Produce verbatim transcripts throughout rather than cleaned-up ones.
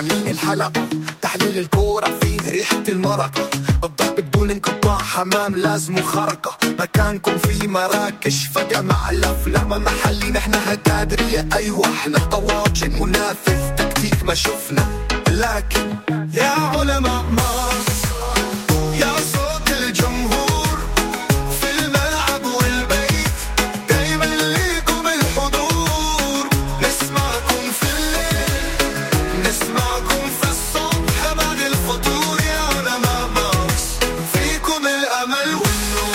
عاملين الحلقة، تحليل الكورة فيه ريحة المرقة، الضرب بدون انقطاع، حمام لازم خرقة، مكانكم في مراكش فجأة مع الأفلام محلي، نحن هتادرية أيوة احنا طواجن منافذ تكتيك ما شفنا، لكن يا علماء مارس يا صوت الجمهور في الملعب والبيت، دايما ليكم الحضور، نسمعكم في الليل نسمعكم في الصبح بعد الفطور، يا علماء مارس فيكم الأمل والنور.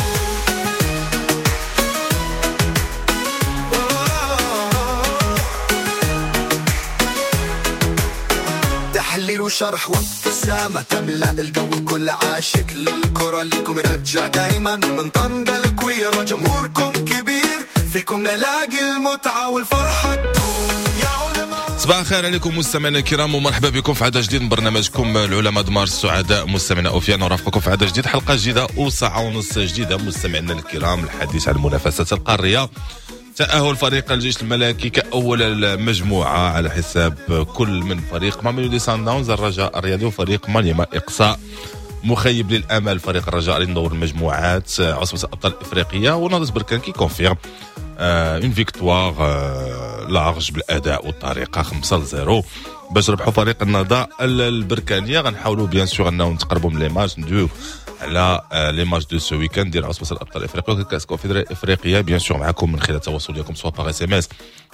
تحليل وشرح وابتسامة تملأ الجو، كل عاشق للكرة ليكم رجع دايما من طنجة الكويرة، جمهوركم كبير فيكم نلاقي المتعة والفرحة تدوم يا علماء. صباح الخير عليكم مستمعينا الكرام ومرحبا بكم في عدد جديد من برنامجكم العلماء دمار السعداء. مستمعينا اوفيا نرافقكم في عدد جديد، حلقة جديدة وساعة ونص جديدة. مستمعينا الكرام، الحديث عن المنافسات القارية، تأهل فريق الجيش الملكي كأول المجموعة على حساب كل من فريق ماميلودي سان داونز، الرجاء الرياضي، وفريق مانيما. إقصاء مخيب للأمل فريق الرجاء لندور المجموعات عصبة الأبطال الإفريقية، ونهضة بركان qui confirme une victoire large بالأداء والطريقة خمسة لصفر باش ربحوا فريق النهضة البركانية. غنحاولوا bien sûr أنه نتقربوا من les matchs، ندويو على les matchs de ce week-end ديال عصبة الابطال الافريقية وكاس كونفدراليه الافريقية، bien sûr معكم من خلال التواصل ديالكم soit par SMS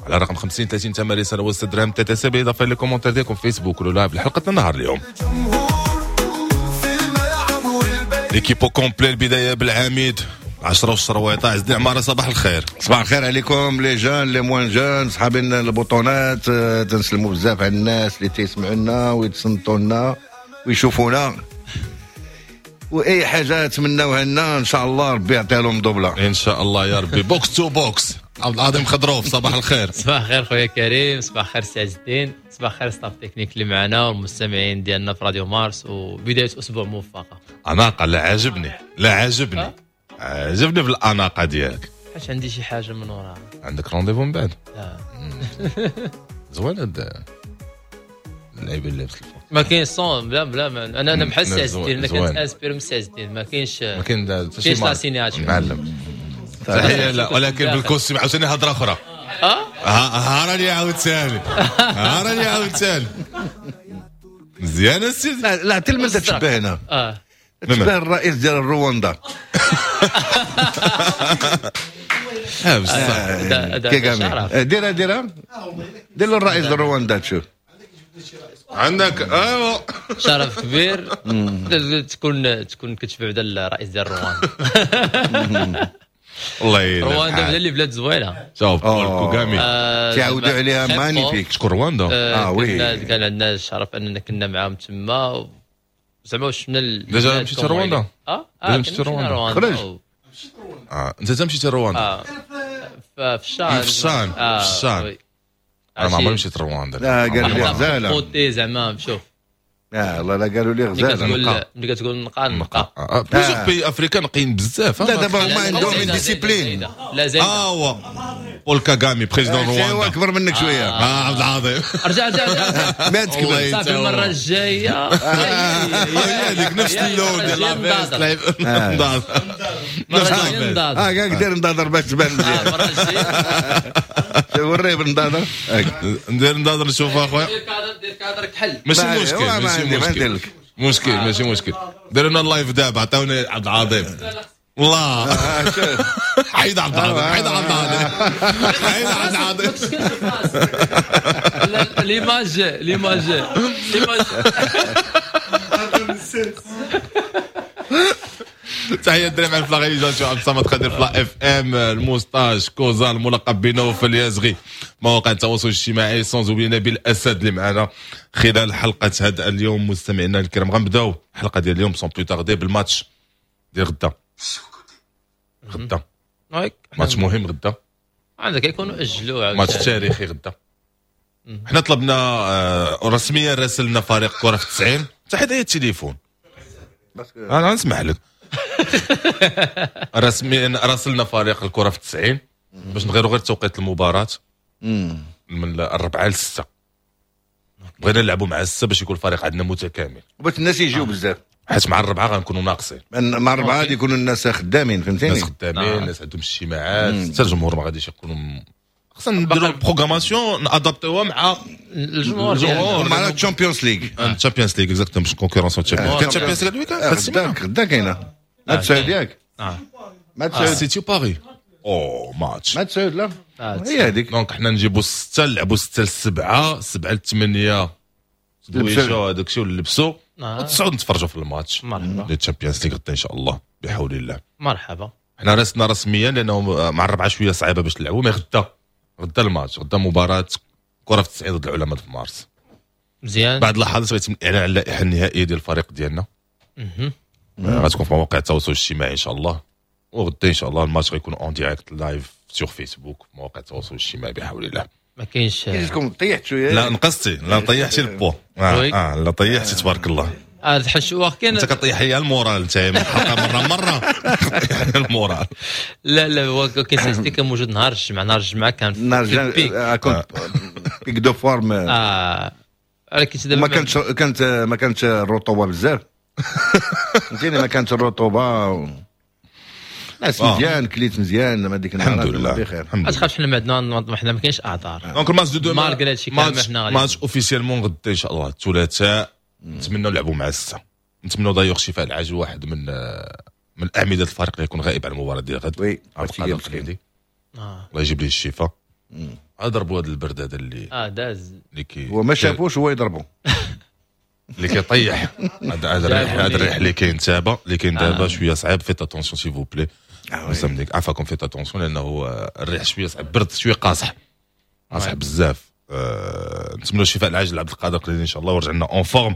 على رقم خمسين ثلاثين ثمانية رسالة وستة درهم TTC، بالاضافة les commentaires ديالكم فيسبوك ولا live لحلقتنا النهار اليوم. l'équipe au complet، البداية بالعميد عشرة والشرويطه عز الدين عمارة. صباح الخير. صباح الخير عليكم les jeunes les moins jeunes، صحابين البطونات، تنسلموا بزاف على الناس اللي تيسمعوا لنا ويتصنتوا لنا ويشوفونا، واي حاجة تمناوها لنا ان شاء الله ربي يعطيها لهم دوبله ان شاء الله يا ربي. box to box، عبد العظيم خضروف صباح الخير. صباح الخير خويا كريم، صباح الخير سي عز الدين، صباح الخير staff technique اللي معنا والمستمعين ديالنا في راديو مارس، وبداية اسبوع موفقة. اناقة، لا عاجبني لا عاجبني عجبني في الاناقة ديالك. حاش عندي شي حاجة من وراها. عندك rendez-vous من بعد؟ لا. زوين هاد اللعيبة اللي لابس الفوق. ما كاينش صون بلا بلا ما. انا انا بحال سي عز الدين، انا كنت inspiré من سي عز الدين، ما كاينش ما كاين حتى شي signature معلم. تحية لا، ولكن بال costume عاوتاني هضره اخرى. اه ها راني عاوتاني ها راني عاوتاني مزيان السيد. لا لا تلمس تشبه هنا. اه تشبه الرئيس ديال رواندا. اه بصح كيغامي ديرها ديرها دير له الرئيس ديال رواندا تشوف عندك. ايوا شرف كبير تكون تكون كتشبه بعدا الرئيس ديال رواندا. الله يلعن رواندا بعدا اللي بلاد زوينة. شوف بول كوغامي تعودوا عليها magnifique. شكون رواندا؟ اه oui، كان عندنا الشرف اننا كنا معاهم تما، زعما شفنا déjà مشيت رواندا. اه اه مشيت رواندا خرج. اه انت مشيت رواندا؟ اه في الشان في الشان في الشان. انا ما عمري مشيت رواندا. لا قالوا لي غزاله خوتي زعما شوف. لا والله لا قالوا لي غزاله. ملي كتقول نقا نقا plusieurs pays africains نقيين بزاف. لا دابا هما عندهم discipline. لا زايدة. اه هو بول كاغامي président رواندا. هو اكبر منك شوية. اه عبد العظيم رجع رجع رجع ما تكبر صافي المرة الجاية. هذيك نفس اللون ديال la veste نضاض. اه كاع دير نضاضر باش تبان مزيان. المرة الجاية وريه بالنضاضر. ندير نضاضر نشوف اخويا. دير كادر دير كادر كحل. ماشي مشكل ماشي مشكل مشكل ماشي مشكل. ديروا لنا ال live دابا، عطاونا عبد العظيم. الله حيد عبد العظيم حيد عبد العظيم حيد عبد العظيم. l'image l'image l'image. تحية الدراري مع la réalisation عبد الصمد خضير في la FM، ال moustache كوزا الملقب بنوفل اليازغي، مواقع التواصل الاجتماعي، sans oublier نبيل الاسد اللي معنا خلال حلقة هذا اليوم. مستمعينا الكرام غنبداو الحلقة ديال اليوم sans plus tarder بالماتش ديال غدا. غدا ماتش مهم غدا، عندك يكونوا اجلوه ماتش تاريخي غدا. حنا طلبنا آه رسميا راسلنا فريق كره في التسعين حتى هي التليفون انا نسمح لك رسميا راسلنا فريق الكره في التسعين باش نغيروا غير توقيت المباراة من الربعه للسته. بغينا نلعبوا مع الستة باش يكون الفريق عندنا متكامل، باش الناس يجيو بزاف، حيت مع الربعه غنكونوا ناقصين. مع الربعه غادي يكونوا الناس خدامين، فهمتيني؟ الناس خدامين، الناس عندهم اجتماعات، حتى الجمهور ما غاديش يكونوا. خصنا نديروا programmation نادابتوها مع الجمهور، الجمهور مع ال Champions League. ال Champions League exactement، باش concurrence ال Champions. كان ال Champions League ال week-end؟ غدا غدا كاينه مع تسعود ياك؟ مع تسعود سيتي باري او ماتش مع تسعود. لا هي هذيك. donc حنا نجيبوا ستة، نلعبوا ستة لسبعة، سبعة لثمانية دويشو هذاك الشيء ونلبسوا، وتسعود نتفرجوا في الماتش مرحبا ديال ال Champions League غدا ان شاء الله بحول الله. مرحبا. حنا راسنا رسميا لانه مع الربعه شوية صعيبة باش نلعبوا، mais غدا غدا الماتش، غدا مباراة كره في التسعين ضد العلماء في مارس. مزيان. بعد لحظات غيتم الاعلان على اللائحة النهائية ديال الفريق ديالنا، غتكون في مواقع التواصل الاجتماعي ان شاء الله، وغدا ان شاء الله الماتش غيكون en direct live sur Facebook، في مواقع التواصل الاجتماعي بحول الله. ما كاينش. كيجيكم طيحت شوية؟ لا نقصتي، لا طيحتي البو، اه, آه لا طيحتي تبارك الله. اه الحش كاين انت كطيح لي ال moral انت من الحلقة مرة مرة كطيح لي ال moral. لا لا هو كاين سيستي كان موجود نهار الجمعة، نهار الجمعة كان في نهار الجمعة كنت pic de forme. اه ولكن دابا ما كانتش كانت ما كانتش الرطوبة بزاف، فهمتيني؟ ما كانتش الرطوبة، ناس مزيان، كليت مزيان ما ديك النهار. الحمد لله بخير. ما تخافش، حنا ما عندنا حنا ما كاينش اعذار. donc ال match de demain malgré هادشي كامل حنا match officiellement غدا ان شاء الله الثلاثاء، نتمنوا نلعبوا مع الستة، نتمنوا d'ailleurs شفاء العاجل واحد من من اعمدة الفريق اللي يكون غائب على المباراة ديال غد. oui عبد القادر القليدي الله يجيب ليه الشفاء. ضربوا هذا البرد هذا اللي اه داز اللي كي هو ما شافوش هو يضربوا اللي كيطيح هذا الريح، هذا الريح اللي كاين دابا، اللي كاين دابا شوية صعيب. faites attention s'il vous plaît، مسامديك عفاكم faites attention لانه الريح شوية صعيب، برد شوية قاصح قاصح بزاف. أه نتمنوا الشفاء العاجل لعبد القادر القليدي ان شاء الله ورجع لنا en forme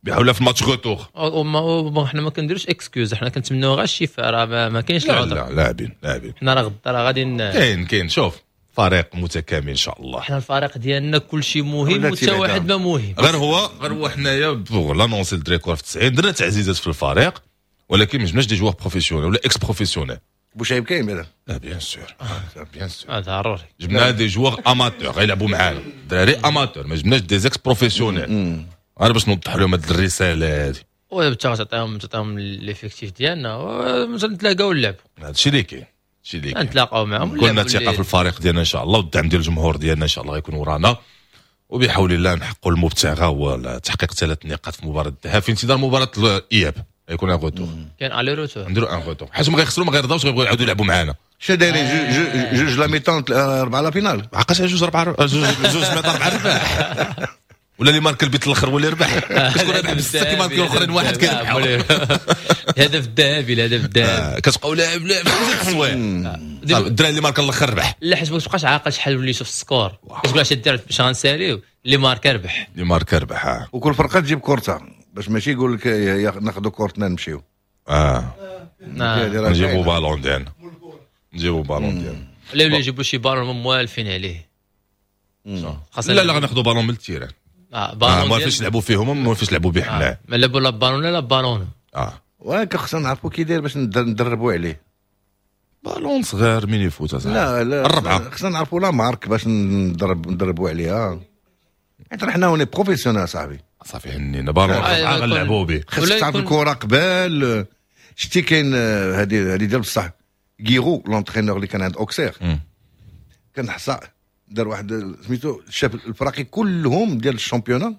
بحول الله في ال match retour. وما حنا ما كنديروش excuses، حنا كنتمناو غير الشفاء، راه ما كاينش العذر. لا لاعبين لاعبين حنا راه غدا راه غادي كاين كاين شوف فريق متكامل ان شاء الله. حنا الفريق ديالنا كل شيء مهم وحتى واحد ما مهم، غير هو غير هو حنايا pour l'annoncer الدراري كره في التسعين درنا تعزيزات في الفريق، ولكن ما جبناش des joueurs professionnels ولا ex-professionnels. بوشعيب كاين بعدا؟ لا bien sûr bien sûr ضروري. جبنا des joueurs amateurs غيلعبوا معانا، دراري amateurs، ما جبناش des ex-professionnels، غير باش نوضح لهم هاد الرسالة هادي. ودابا تعطيهم تعطيهم l'effectif ديالنا نتلاقاو نلعبوا، هادشي اللي كاين، هادشي اللي كاين، نتلاقاو معاهم. كلنا ثقة في الفريق ديالنا ان شاء الله، والدعم ديال الجمهور ديالنا ان شاء الله غيكون ورانا، وبحول الله نحققوا المبتغى هو تحقيق ثلاث نقاط في مباراة الذهاب في انتظار مباراة الاياب. غيكون un retour، كاين aller-retour، نديروا un retour حيت ما غيخسروا ما غيرضاوش غيبغيو يعاودوا يلعبوا معانا. شنو دايرين؟ جوج la mi-temps اربعة la finale، عقاش جوج اربعة جوج جوج mi-temps اربعة ربح، ولا اللي مارك البيت الاخر هو اللي ربح، كتكون رابح بسته كيماركي الاخرين واحد كيربح. الهدف الذهبي، الهدف الذهبي كتبقاو لاعب لاعب التصوير، الدراري اللي مارك الاخر ربح. لا حيت ما تبقاش عاقل شحال وليتو في ال score، كتقول اش دير باش غنساليو، اللي ماركا ربح، اللي ماركا ربح. وكل فرقه تجيب كورتها باش ماشي يقول لك ناخذوا كورتنا نمشيو. اه نجيبوا بالون ديالنا، نجيبوا بالون ديالنا. لا ولا يجيبوا شي بالون موالفين عليه. لا لا غناخذوا بالون من ال terrain. اه بالون ما فيش لعبوا فيهم، ما فيش لعبوا به حنا. ما لعبوا لا بالون لا بالون. اه ولكن خصنا نعرفوا كي داير باش ندربوا عليه. بالون صغير mini-foot اصاحبي. لا لا الربعه خصنا نعرفوا la marque باش ندرب ندربوا عليها، حيت حنا on est professionnels صاحبي. صافي هنينا بالون الربعه غنلعبوا به. خصك تعرف الكره قبل. شتي كاين هذه هذه ديال بصح غيرو l'entraîneur اللي كان عند اوكسير، كان حصا دار واحد سميتو شاف الفراقي كلهم ديال ال championnat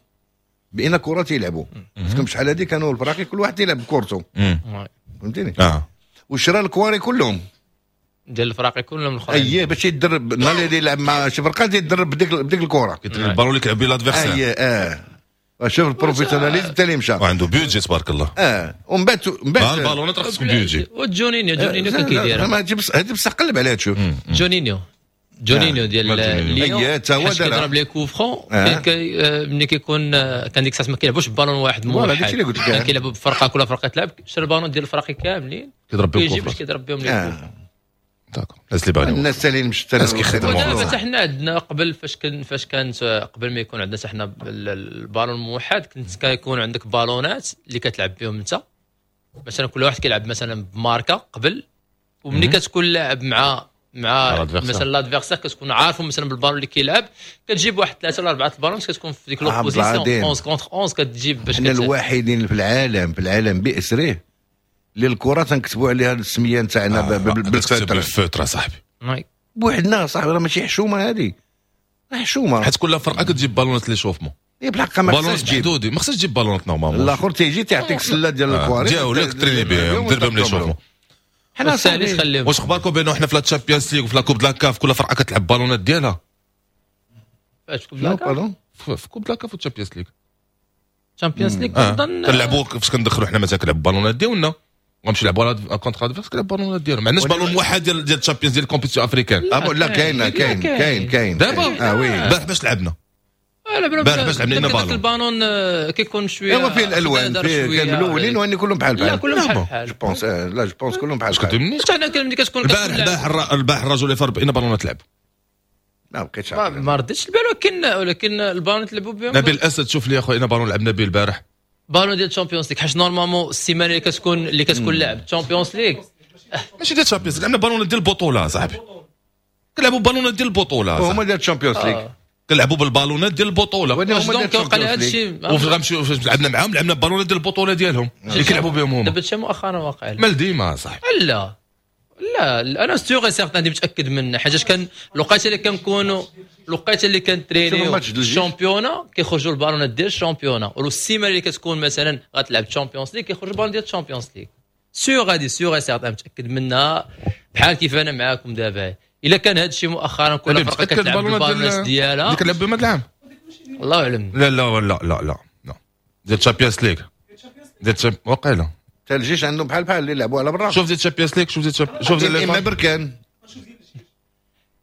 بان كره تيلعبوا، parce que شحال هادي كانوا الفراقي كل واحد تيلعب بكورته، فهمتيني؟ اه وشرا الكواري كلهم ديال الفراقي كلهم الاخرين، اييه باش يتدرب نهار اللي يلعب مع شي فرقه تيدرب بديك بديك الكره، البالون اللي كيلعب به l'adversaire. اييه اه شوف ال professionnalisme تاع اللي مشى وعنده budget تبارك الله. اه ومن بعد من بعد البالونات راه خصكم budget. وجونينيو جونينيو كان كيديرها، هادي بصح قلب عليها تشوف. جونينيو جونينيو ديال ليون اييه تا هو دار كيضرب les coups francs، ملي كيكون كان ديك الساعة ما كيلعبوش بالون واحد موحد، كان كيلعبوا بفرقة، كل فرقه تلعب شرا البالون ديال الفراقي كاملين كيضرب بهم كيجي باش كيضرب بهم les coups. d'accord الناس اللي باغيين الناس اللي مش الناس كيخدموا. دابا حتى حنا عندنا قبل فاش كان فاش كانت قبل ما يكون عندنا حتى حنا البالون الموحد، كنت كيكون عندك بالونات اللي كتلعب بهم انت، مثلا كل واحد كيلعب مثلا بماركه قبل، وملي كتكون لاعب مع مع مثلا l'adversaire، كتكون عارفه مثلا بالبالون اللي كيلعب، كتجيب واحد ثلاثة ولا اربعة البالون، كتكون في ديك l'opposition أحد عشر contre أحد عشر كتجيب باش حنا الوحيدين في العالم، في العالم باسره، اللي الكره تنكتبوا عليها السمية نتاعنا آه بال feutre. بال feutre صاحبي. بوحدنا صاحبي، راه ماشي حشومه هذه، حشومه. حيت كل فرقه كتجيب بالونات l'échauffement. إيه، بالحق ما خصهاش تجيب محدودي، ما خصهاش تجيب بالونات normalement. الاخر تيجي تيعطيك سله ديال الكواري. ديالك تريني بهم، دير بهم l'échauffement. حنا صاحبي خليهم. واش اخباركم بانه حنا في la Champions League وفي la Coupe de la CAF كل فرقه كتلعب بالونات ديالها؟ فاش Coupe la CAF؟ في Coupe de la CAF و Champions League. Champions League كنظن كنلعبوا فاش كندخلوا حنا مثلا كنلعبوا بالونات ديالنا، غنمشي نلعبوا contre adversaire كنلعب بالونات ديالهم. ما عندناش بالون واحد ديال ديال ال Champions ديال ال compétition africaine. لا كاين كاين كاين كاين. دابا اه oui البارح باش لعبنا البارح باش لعبنا بالون، البالون كيكون شويه ايوا فيه الالوان، فيه كان ملونين واني كلهم بحال بحال. لا كلهم بحال بحال. je pense، لا je pense كلهم بحال بحال. حتى حنا ملي كتكون البارح البارح البارح الرجل اللي فرق بين بالونات لعب. ما بقيتش ما رديتش البال، ولكن ولكن البالون تلعبوا بهم. نبيل الاسد شوف لي اخويا بالون لعبنا به البارح. بالون ديال ال Champions League، حيت normalement السيمانة اللي كتكون اللي كتكون لعب Champions League ماشي ديال ال Champions، لعبنا بالون ديال البطولة صاحبي. كنلعبوا بالونات ديال البطوله. هما ديال ال Champions League. كنلعبوا بالبالونات ديال البطوله. واش donc وقع هذا الشيء؟ وفاش غنمشيو فاش لعبنا معاهم لعبنا بالونات ديال البطولة ديالهم اللي كيلعبوا بهم هما. دابا هادشي مؤخرا واقع. مال ديما صاحبي. لا لا انا sûr certain متاكد منه، حيت كان الوقيته اللي كنكونوا الوقيته اللي كنترينيو ال championnat كيخرجوا البالونات ديال ال championnat، والسيمانه اللي كتكون مثلا غتلعب Champions League كيخرجوا البالون ديال ال Champions League. sûr غادي sûr certain متاكد منها، بحال كيف انا معاكم دابا. الا كان هذا الشيء مؤخرا كل فرقه كتلعب بالبالونات ديالها اللي كنلعب بهم هذا العام الله اعلم. لا لا لا لا لا لا ديال Champions League ديال وقيله حتى الجيش عندهم بحال بحال اللي يلعبوا على برا. شوف ديال Champions League، شوف ديال شوف ديال اما بركان،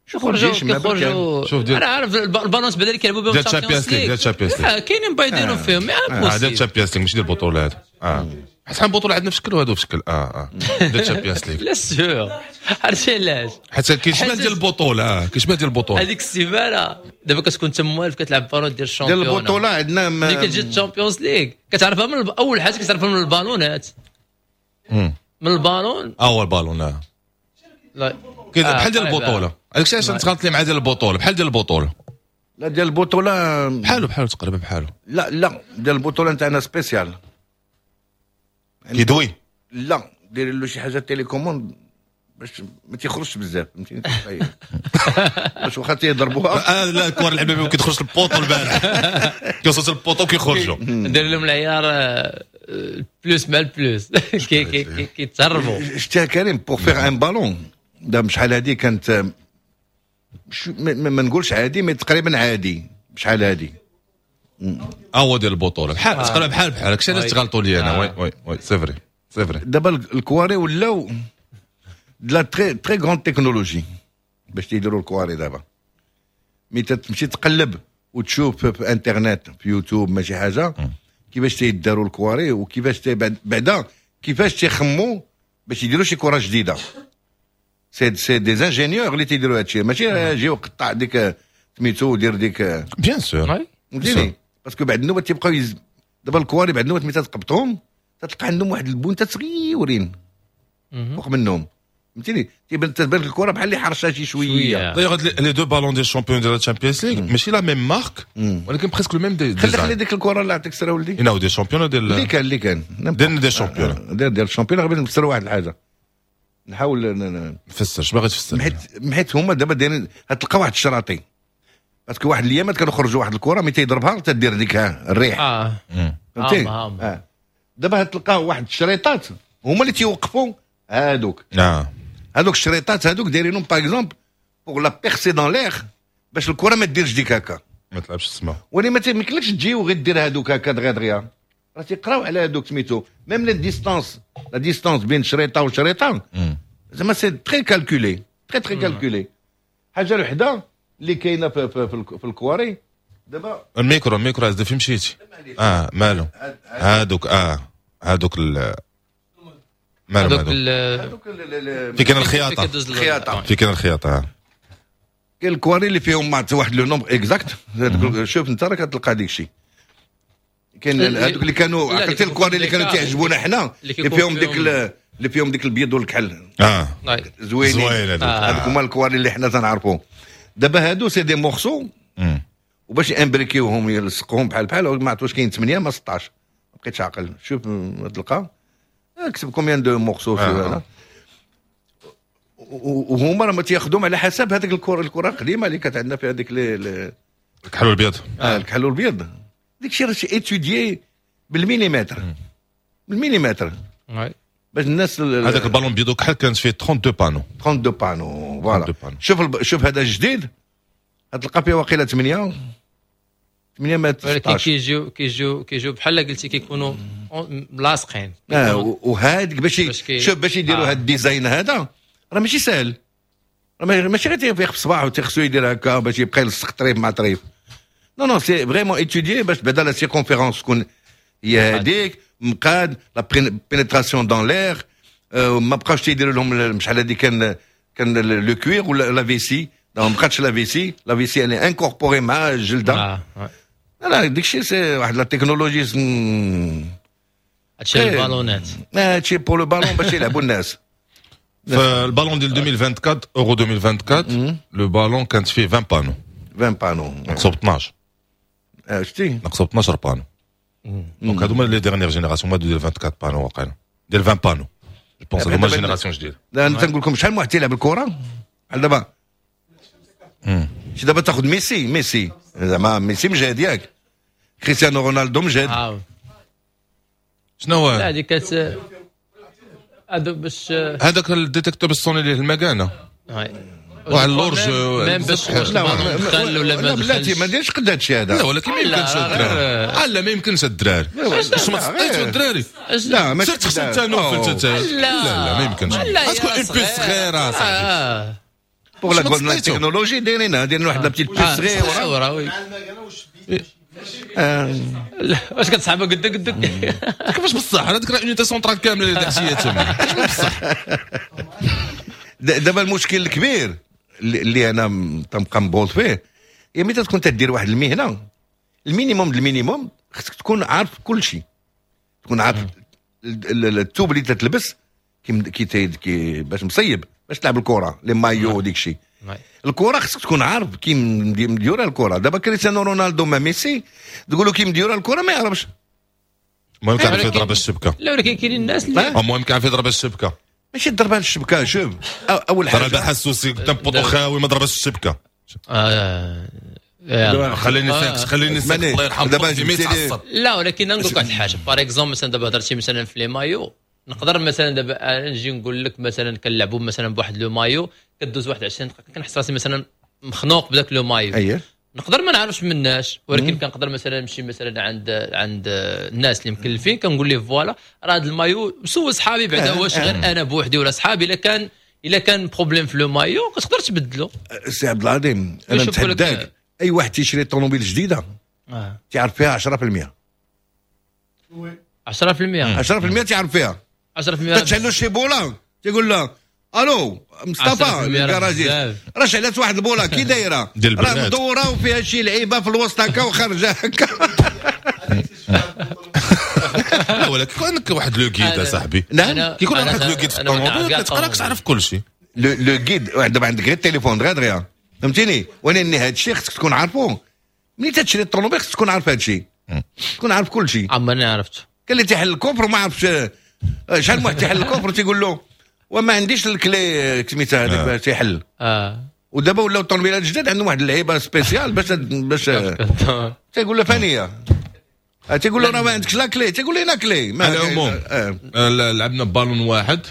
شوف الجيش ما بركان. شوف ديال انا عارف البالونات بعدا اللي كيلعبوا بهم ديال Champions League، ديال Champions League كاينين بايدينو فيهم. اه ديال Champions League ماشي ديال البطولة هذا. اه حيت حنا البطولة عندنا في شكل وهادو في شكل. اه اه ديال Champions League لا sûr عرفتي علاش؟ حيت كيشبه ديال البطوله. اه كيشبه ديال البطوله. هذيك السيمانة دابا كتكون انت موالف كتلعب بالون ديال ال championnat ديال البطوله عندنا. ملي كتجي ال Champions League كتعرفها من اول حاجه كتعرفها من البالونات، من البالون. اول بالون اه لا بحال ديال البطوله. هذاك الشيء علاش تغلط لي مع ديال البطوله، بحال ديال البطوله. لا ديال البطوله بحالو بحالو تقريبا بحالو. لا لا ديال البطولة نتاعنا spécial كيدوي. لا دير له شي حاجة télécommande باش ما تيخرجش بزاف، فهمتيني؟ باش واخا تيضربوها. آه لا الكره لعبنا بهم كيدخلش ال poteau البارح، كيوصل ال poteau كيخرجوا. ندير لهم العيار plus مع ال plus كيتهربوا. شتي كريم pour faire un ballon دابا شحال هادي كانت، ما نقولش عادي mais تقريبا عادي شحال هادي. هو ديال البطولة بحال تقريبا بحال بحال هادشي علاش تغلطوا لي انا. oui oui oui c'est vrai c'est vrai. دابا الكواري ولاو de la très très grande technologie باش تيديروا الكواري دابا. mais تمشي تقلب وتشوف في انترنت في يوتيوب ماشي حاجة كيفاش تيداروا الكواري وكيفاش بعدا كيفاش تيخموا باش يديروا شي كره جديده. c'est c'est des ingénieurs اللي تيديروا هادشي، ماشي جي وقطع ديك سميتو ودير ديك. bien sûr فهمتيني؟ parce que بعد النوبة تيبقاو يز... دابا الكواري بعد النوبة ملي تقبطهم تلقى عندهم واحد البونته صغيورين فوق منهم، فهمتيني؟ تيبان تبان الكره بحال اللي حرشه شي شويه. d'ailleurs les deux ballons ديال ال champion ديال ال Champions League ماشي la même marque ولكن presque le même design. خلي خلي ديك الكره اللي عطيك سرا ولدي. انا des champions ديال اللي كان اللي كان ديال des champions ديال ديال ال champion. غير نفسر واحد الحاجة نحاول نفسر. اش باغي تفسر؟ حيت حيت هما دابا دايرين تلقى واحد الشراطي parce que واحد الايامات كانوا خرجوا واحد الكره ملي تيضربها تدير ديك الريح. اه فهمتي؟ اه دابا تلقى واحد الشريطات هما اللي تيوقفوا هادوك. اه هادوك الشريطات هادوك دايرينهم par exemple pour la percer dans l'air باش الكره ما ديرش ديك هكا ما تلعبش السما. ولي ما تيمكنلكش تجي وغير دير هادوك هكا دغيا دغيا، راه تيقراو على هادوك سميتو même la distance la distance بين شريطه وشريطه زعما c'est très calculé très très calculé. حاجة وحده اللي كاينه في, في, في, في الكواري دابا. ال micro ال micro هذا فين مشيتي؟ اه مالو هادوك اه هادوك ال مالو هادوك في كاين الخياطة الخياطة في كاين الخياطة كاين الكواري اللي فيهم مع واحد le nombre exact. شوف انت راه كتلقى ديك الشيء. كاين هذوك اللي كانوا عقلتي الكواري اللي كانوا تيعجبونا حنا اللي فيهم ديك اللي فيهم ديك البيض والكحل. اه زوينين، زوين هذوك. هذوك هما الكواري اللي حنا تنعرفوهم. دابا هادو c'est des morceaux، وباش imbriquer وهم يلصقوهم بحال بحال، ما عرفت واش كاين ثمانية ما ستاش، ما بقيتش عاقل. شوف تلقى اكتب combien de morceaux في هذا. وهما راه ما تياخذوهم على حسب هذيك الكره الكره القديمة اللي كانت عندنا في هذيك الكحل والبيض. اه الكحل والبيض، ديك الشيء راه étudié بالمليمتر بالمليمتر باش الناس. هذاك البالون بيض وكحل كانت فيه اثنين وثلاثين panneaux. اثنين وثلاثين panneaux، voilà. شوف الب... شوف هذا الجديد، تلقى فيه واقيلا ثمانية ثمانية ما ولكن كيجيو كيجيو كيجيو بحال قلتي كيكونوا ملاصقين. اه وهذيك باش شوف باش يديروا آه. هذا ال design هذا راه ماشي سهل، راه ماشي غير تيفيق في الصباح وتيخصو يدير هكا باش يبقى يلصق طريف مع طريف. non non، c'est vraiment étudié باش بعدا la circonférence تكون هي هذيك مقاد، la pénétration dans l'air. ما بقاوش تيديروا لهم، شحال هذه كان كان le cuir ولا la vessie، ما بقاتش la vessie، la vessie يعني incorporée مع الجلده. آه. لا، ديك الشيء c'est واحد la technologie. هادشي البالونات. هادشي pour le ballon باش يلعبوا الناس. فالبالون ديال ألفين وأربعة وعشرين، اورو ألفين وأربعة وعشرين، le ballon كانت فيه عشرين panneaux. عشرين panneaux. نقصوا ب اثناش. شتي. نقصوا ب اثناش panneaux. donc هادو هما les dernières générations، هما ديال أربعة وعشرين panneaux، واقيلا ديال عشرين panneaux je pense، هادو هما génération جديده. انا تنقول لكم شحال من واحد تيلعب الكره بحال دابا، شي دابا تاخذ ميسي، ميسي زعما ميسي مجهد ياك، كريستيانو رونالدو مجهد. آه. شنو هو؟ لا، هذيك كانت هادو باش هذاك ال détecteur باش تصوني ليه المكانه. واحد l'horloge. même باش دخل ولا ما بلاتي، ما ديرش قد هادشي هذا. لا، ولكن ما يمكنش الدراري، لا ما يمكنش الدراري، واش ما تسطيتو الدراري؟ لا، ماشي تخسر انت نوفل. لا لا، ما يمكنش تكون une puce صغيرة صاحبي. pour la technologie دايرينها، دايرين واحد la petite puce صغيره. oui، واش كتصحابها قدك قدك؟ كيفاش بصح؟ انا ديك unité centrale كاملة اللي داكشي تما بصح. دابا المشكل الكبير اللي انا تنبقى مبوط فيه هي ملي تكون تدير واحد المهنه، ال minimum ال minimum خصك تكون عارف كل شيء، تكون عارف الثوب اللي تتلبس كي كي باش مصيب باش تلعب الكره، les maillots وديك الشيء. الكره خصك تكون عارف كي مديوره الكره. دابا كريستيانو رونالدو ما ميسي تقولوا كي مديوره الكره ما يعرفش. المهم كيعرف يضرب الشبكه. لا، ولكن كاينين الناس اللي المهم كيعرف يضرب الشبكه. ماشي ضربها الشبكه، شوف، اول حاجة ضربها حسوسي قدام poteau خاوي، ما ضربش الشبكه. آه. خليني ساكت، خليني ساكت، الله يرحم. دابا لا، ولكن نقول لك واحد الحاجه، par exemple مثلا دابا هضرتي مثلا في les maillots، نقدر مثلا دابا نجي نقول لك مثلا كنلعبوا مثلا بواحد le maillot، كدوز واحد عشرين دقيقة كنحس راسي مثلا مخنوق بداك le maillot. اييه نقدر ما نعرفش مناش، ولكن كنقدر مثلا نمشي مثلا عند عند الناس اللي مكلفين، كنقول ليه voilà راه هذا المايو، سول صحابي بعدا واش غير انا بوحدي ولا صحابي، الا كان الا كان problème في le maillot كتقدر تبدلو. سي عبد العظيم، انا نتحداك، اي واحد تيشري طوموبيل جديدة آه. تعرف فيها عشرة في المية. عشرة في المية. عشرة في المية تعرف فيها. عشرة في المية. تشعلو شي بوله تيقول له الو مصطفى ال garagiste، راه شعلت واحد البوله، كي دايرة؟ راه مدورة وفيها شي لعيبة في الوسط هكا وخارجه هكا. لا، ولكن كون عندك واحد le guide صاحبي. نعم. كيكون عندك le guide في الطوموبيل كتقرا تعرف كل شيء. le guide دابا عندك غير التليفون دغيا دغيا، فهمتيني؟ ولكن هذا الشيء خصك تكون عارفو ملي تشري الطوموبيل، خصك تكون عارف هذا الشيء، تكون عارف كل شيء. عمرني عرفت. كان اللي تيحل ال coffre وما عرفش، شحال من واحد تيحل ال coffre تيقول له وما عنديش ال clé سميتها هذيك باش تيحل. اه ودابا ولاو الطوموبيلات الجداد عندهم واحد اللعيبة spéciale باش باش تيقول له فانيه، تيقول له راه ما عندكش la clé، تيقول له la clé. ما على العموم آه. لعبنا بالون واحد،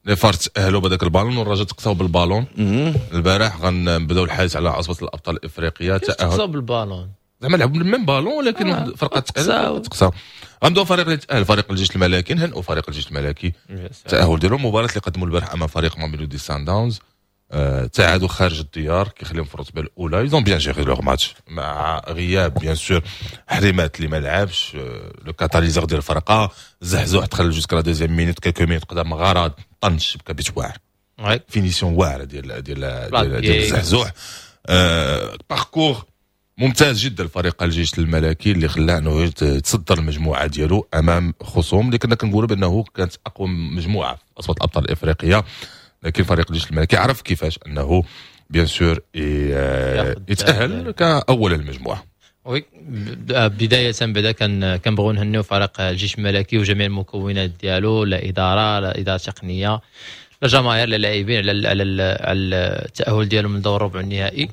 les FAR تاهلوا بهذاك البالون والرجاء تقصاو بالبالون البارح. غنبداو الحديث على عصبه الابطال الافريقيه. تاهل تقصاو بالبالون؟ زعما لعبوا même ballon، ولكن آه. فرقه تقصاو. غنبداو فريق اللي تاهل، فريق الجيش الملكي. نهنئوا فريق الجيش الملكي التاهل ديالهم، المباراة اللي قدموا البارح امام فريق ماميلودي سان داونز، آه، تعادوا خارج الديار كيخليهم في الرتبة الاولى. ils ont bien géré leur match مع غياب bien sûr حريمات اللي ما لعبش، le catalyseur ديال الفرقه. زحزوح دخل jusqu'à la deuxième minute، quelques minutes قدام غرض طنش بكا بيت واعر، finition واعرة ديال ديال ديال, ديال زحزوح. parcours ممتاز جدا الفريق الجيش الملكي اللي خلاه انه يتصدر المجموعة ديالو امام خصوم اللي كنا كنقولوا بانه كانت اقوى مجموعة في عصبه الابطال الافريقيه، لكن فريق الجيش الملكي عرف كيفاش انه bien sûr يتاهل كاول المجموعة. oui، بداية بعدا كان كنبغيو نهنيو فريق الجيش الملكي وجميع المكونات ديالو، لا إدارة لا إدارة تقنية لا جماهير لا لاعبين، على على على التأهل ديالهم من دور ربع النهائي.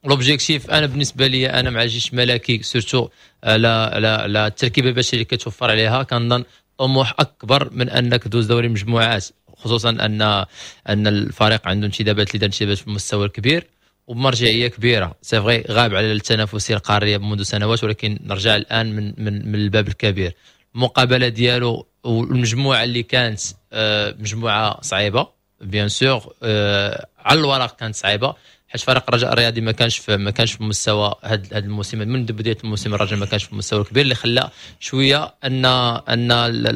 l'objectif انا بالنسبة لي انا مع الجيش الملكي surtout على على على التركيبة البشرية اللي كتوفر عليها، كنظن طموح اكبر من انك دوز دوري المجموعات، خصوصا ان ان الفريق عنده انتدابات اللي دار انتدابات في المستوى الكبير وبمرجعيه كبيره. c'est vrai غاب على التنافسية القارية منذ سنوات، ولكن نرجع الان من من من الباب الكبير. المقابلة ديالو والمجموعة اللي كانت آه، مجموعة صعيبة bien sûr، آه، على الورق كانت صعيبه، حيت فريق الرجاء الرياضي ما كانش في ما كانش في مستوى هذا هذا الموسم. من بداية الموسم الرجاء ما كانش في المستوى الكبير اللي خلى شوية ان ان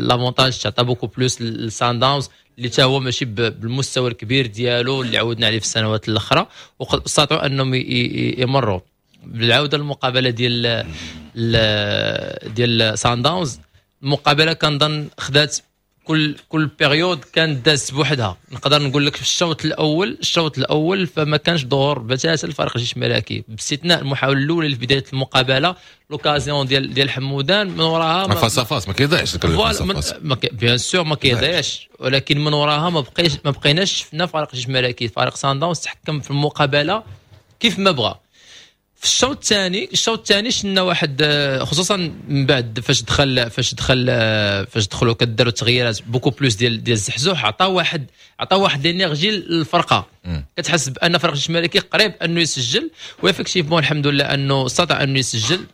l'avantage تعطى beaucoup plus لسان داونز اللي تا هو ماشي بالمستوى الكبير ديالو اللي عودنا عليه في السنوات الاخرى، واستطاعوا انهم يمروا. بالعودة للمقابله ديال ديال سان داونز، المقابلة كنظن خدات كل كل période كانت دازت بوحدها. نقدر نقول لك في الشوط الاول الشوط الاول فما كانش ظهور بتاتا الفريق الجيش الملكي، باستثناء المحاولة الاولى اللي في بداية المقابله، l'occasion ديال ديال حمودان، من وراها face à face ما كيضيعش. bien sûr ما كيضيعش، ولكن من وراها ما بقيش ما بقيناش شفنا فريق الجيش الملكي. فريق سان داونز تحكم في المقابلة كيف ما بغى. في الشوط الثاني الشوط الثاني شفنا واحد، خصوصا من بعد فاش دخل فاش دخل فاش دخلوا كداروا التغييرات beaucoup plus ديال ديال الزحزوح، عطى واحد عطى واحد l'énergie للفرقه، كتحس بان فريق الجيش الملكي قريب انه يسجل، و effectivement الحمد لله انه استطاع انه يسجل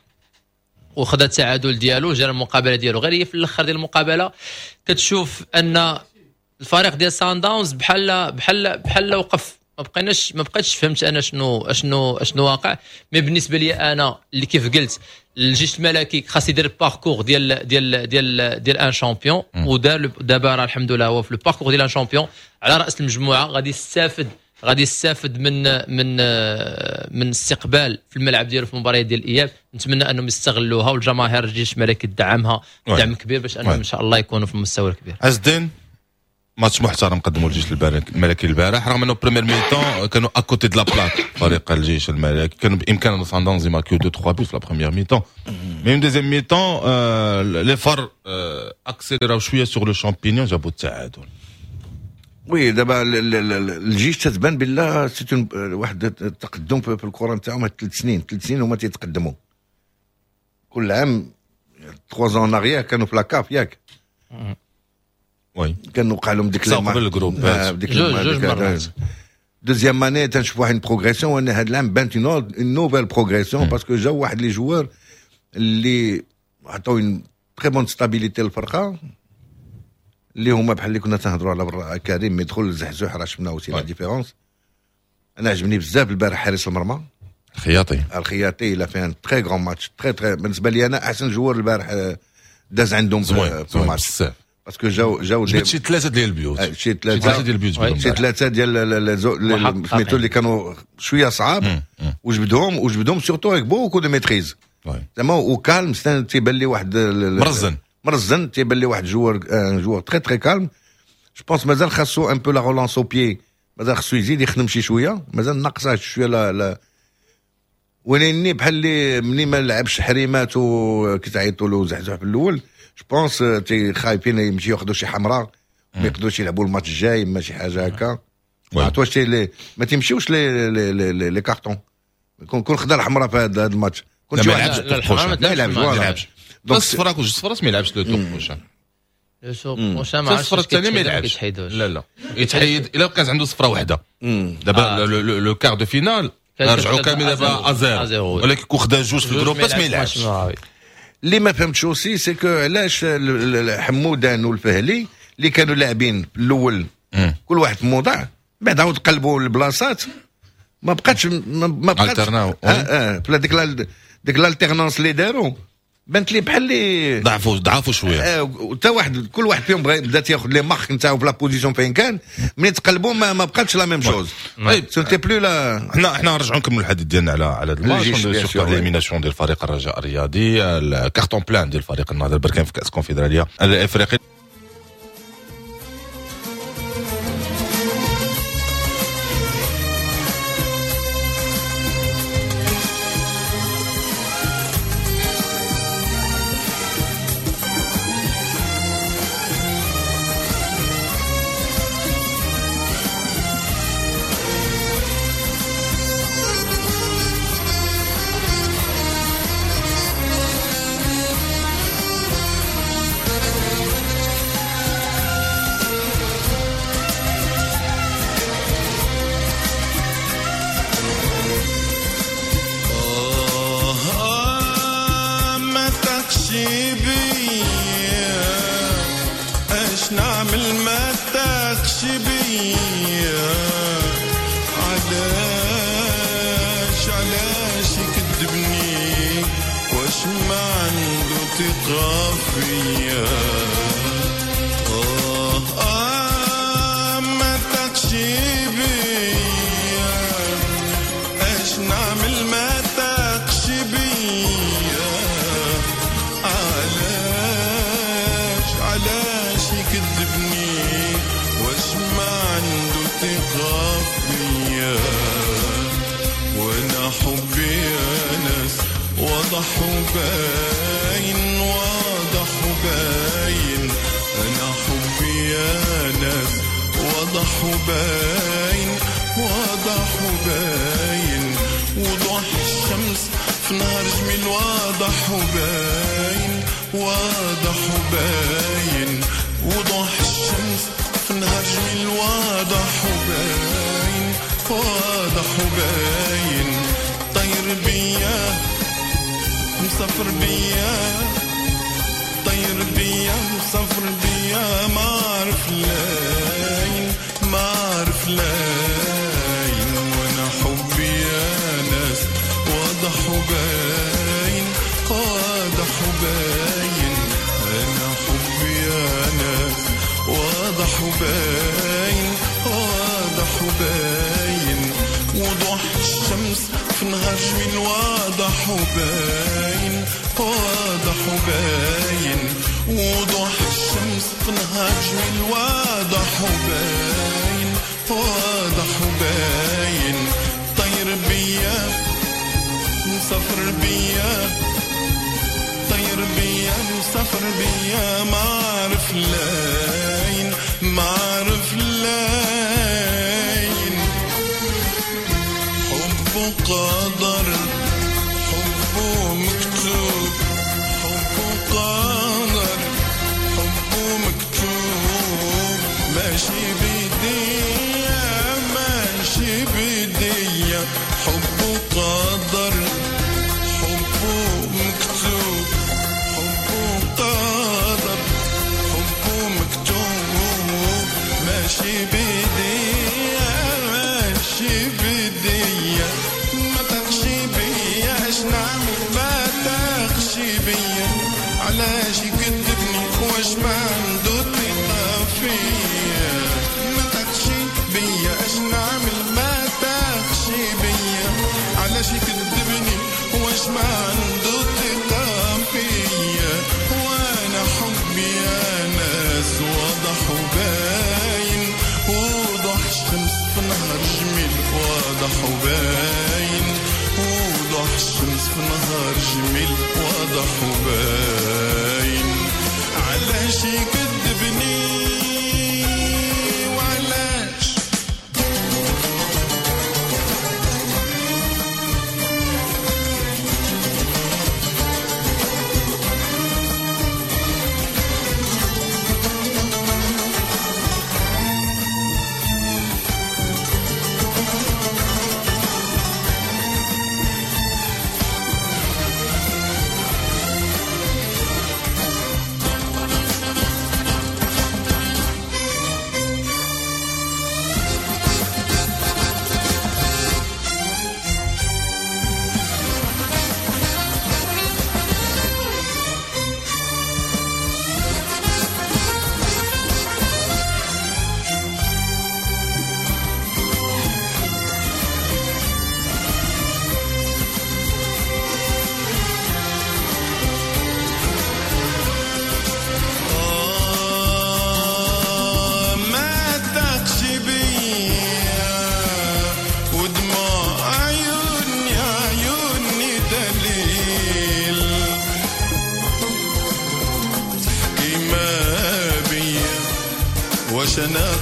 وخذ التعادل ديالو، جرى المقابلة ديالو. غير هي في الاخر ديال المقابلة كتشوف ان الفريق ديال سان داونز بحال بحال بحال وقف، ما بقيناش ما بقيتش فهمت انا شنو اشنو اشنو واقع. mais بالنسبة لي انا اللي كيف قلت، الجيش الملكي خاص يدير parcours ديال ديال ديال ديال un champion، ودار دابا راه الحمد لله هو في ال parcours ديال un champion على راس المجموعه. غادي يستافد غادي يستافد من من من استقبال في الملعب ديالو في المباريات ديال الاياب. نتمنى انهم يستغلوها، والجماهير الجيش الملكي تدعمها دعم كبير باش انهم ان شاء الله يكونوا في المستوى الكبير. عز الدين، ماتش محترم قدموا الجيش الملكي البارح، رغم انه première mi-temps كانوا à côté de la plaque. فريق الجيش الملكي كانوا بامكان سان داونز يماركيو deux trois buts في la première mi-temps، mais deuxième mi-temps les FAR accélér او شوية sur le champignon، جابوا التعادل. oui، دابا الجيش تتبان بالله c'est واحد التقدم في الكره نتاعهم. هاد ثلاث سنين ثلاث سنين هما تيتقدموا كل عام. trois ans en arrière كانوا في la CAF، ياك؟ oui. كان وقع لهم ديك قبل ال groupe. ديك جوج جوج مرات. deuxième année تنشوف واحد progression، وانا هاد العام بانت une nouvelle progression parce que جاو واحد les joueurs اللي عطاو une très bonne stabilité للفرقه، اللي هما بحال اللي كنا تنهضروا على برا كريم mais دخل الزحزوح راه شفنا aussi la différence. انا عجبني بزاف البارح حارس المرمى. الخياطي. الخياطي il a fait un très grand match، très très، بالنسبة لي انا احسن joueur البارح داز عندهم زوين في الماتش بزاف. parce que جاو جاو جبت شي ثلاثة ديال البيوت. شي ثلاثة ديال البيوت. شي ثلاثة ديال سميتو اللي كانوا شوية صعاب، وجبدهم وجبدهم surtout avec beaucoup de maîtrise زعما و calme. تيبان لي واحد مرزن. مرزن، تيبان لي واحد joueur un joueur très très calme. je pense مازال خاصو un peu la relance au pied، مازال خاصو يزيد يخدم شي شويه، مازال ناقصه شوية لا لا ولاني بحال اللي مني ما لعبش حريمات وكيتعيطوا له زحزح في الاول، je pense تي خايفين يمشيو ياخذوا شي حمراء، ما يقدروش يلعبوا الماتش الجاي، ما شي حاجة هكا. ما عرفت les ما تيمشيوش les les les, les cartons. كون كون خدا الحمراء في هذا الماتش. كون ما يلعبش. ما يلعبش. ما يلعبش. الصفراء جوج صفرات ما يلعبش le tour prochain. le tour prochain ما الصفرة الثانية ما يلعبش. لا لا، يتحيد الا كانت عنده صفرة واحده. دابا le quart de finale رجعوا كامل دابا à zéro، ولكن كون خدا جوج في ال groupe ما يلعبش. اللي ما فهمتش aussi c'est que علاش حمودان والفهلي اللي كانوا لاعبين في الاول كل واحد في موضع، بعد عاود قلبوا البلاصات، ما بقاتش ما بقاتش alternaw. اه اه في ديك ديك l'alternance اللي داروا. بانت لي بحال اللي ضعفوا ضعفوا شوية. حتى واحد كل واحد فيهم بغى بدا تياخذ les marques نتاعو في la position فين كان، ملي تقلبوا ما, ما بقاتش la même chose. طيب c'était plus la حنا حنا نرجعوا نكملوا الحديث ديالنا على على هذا الماتش، surtout l'élimination ديال فريق الرجاء الرياضي، ال carton plein ديال فريق النهضة البركان في كاس الكونفدراليه الافريقي.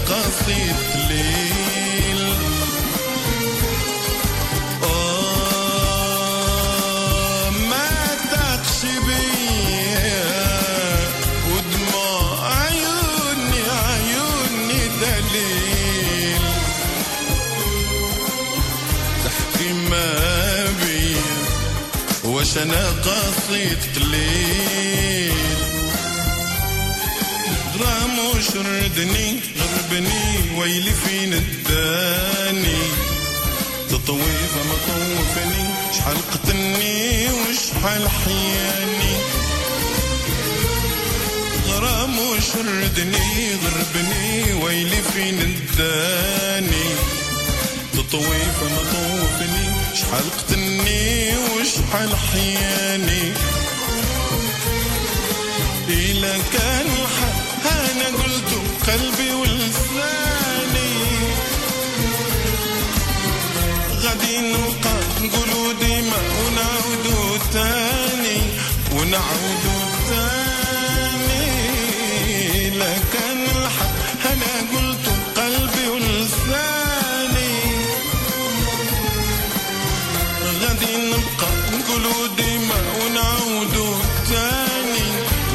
قصيد الليل آه ما تقش بيا ودموع عيوني عيوني دليل تحكي ما بيا واش انا قصيد قليل غرام وشردني غربني ويلي فين الداني تطويفة ما طوفني شحال قتلني وشحال حياني غرام وشردني غربني ويلي فين الداني تطويفة ما طوفني شحال قتلني وشحال حياني إلا كان الحق أنا قلت قلبي ولساني غادي نبقى نقولو ديما ونعاودو تاني ونعاودو تاني إلا كان الحق أنا قلت قلبي ولساني غادي نبقى نقولو ديما ونعاودو تاني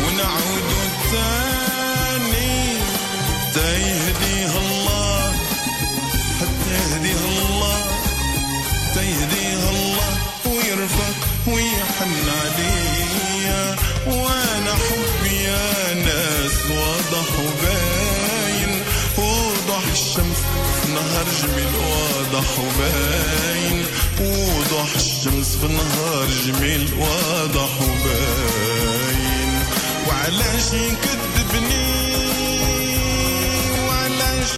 ونعاودو تاني تا يهديها الله حتى يهديها الله تا يهديها الله ويرفق ويحن عليا وانا حبي يا ناس واضح وباين وضح الشمس في نهار جميل واضح وباين وضح الشمس في نهار جميل واضح وباين وعلاش يكذبني وعلاش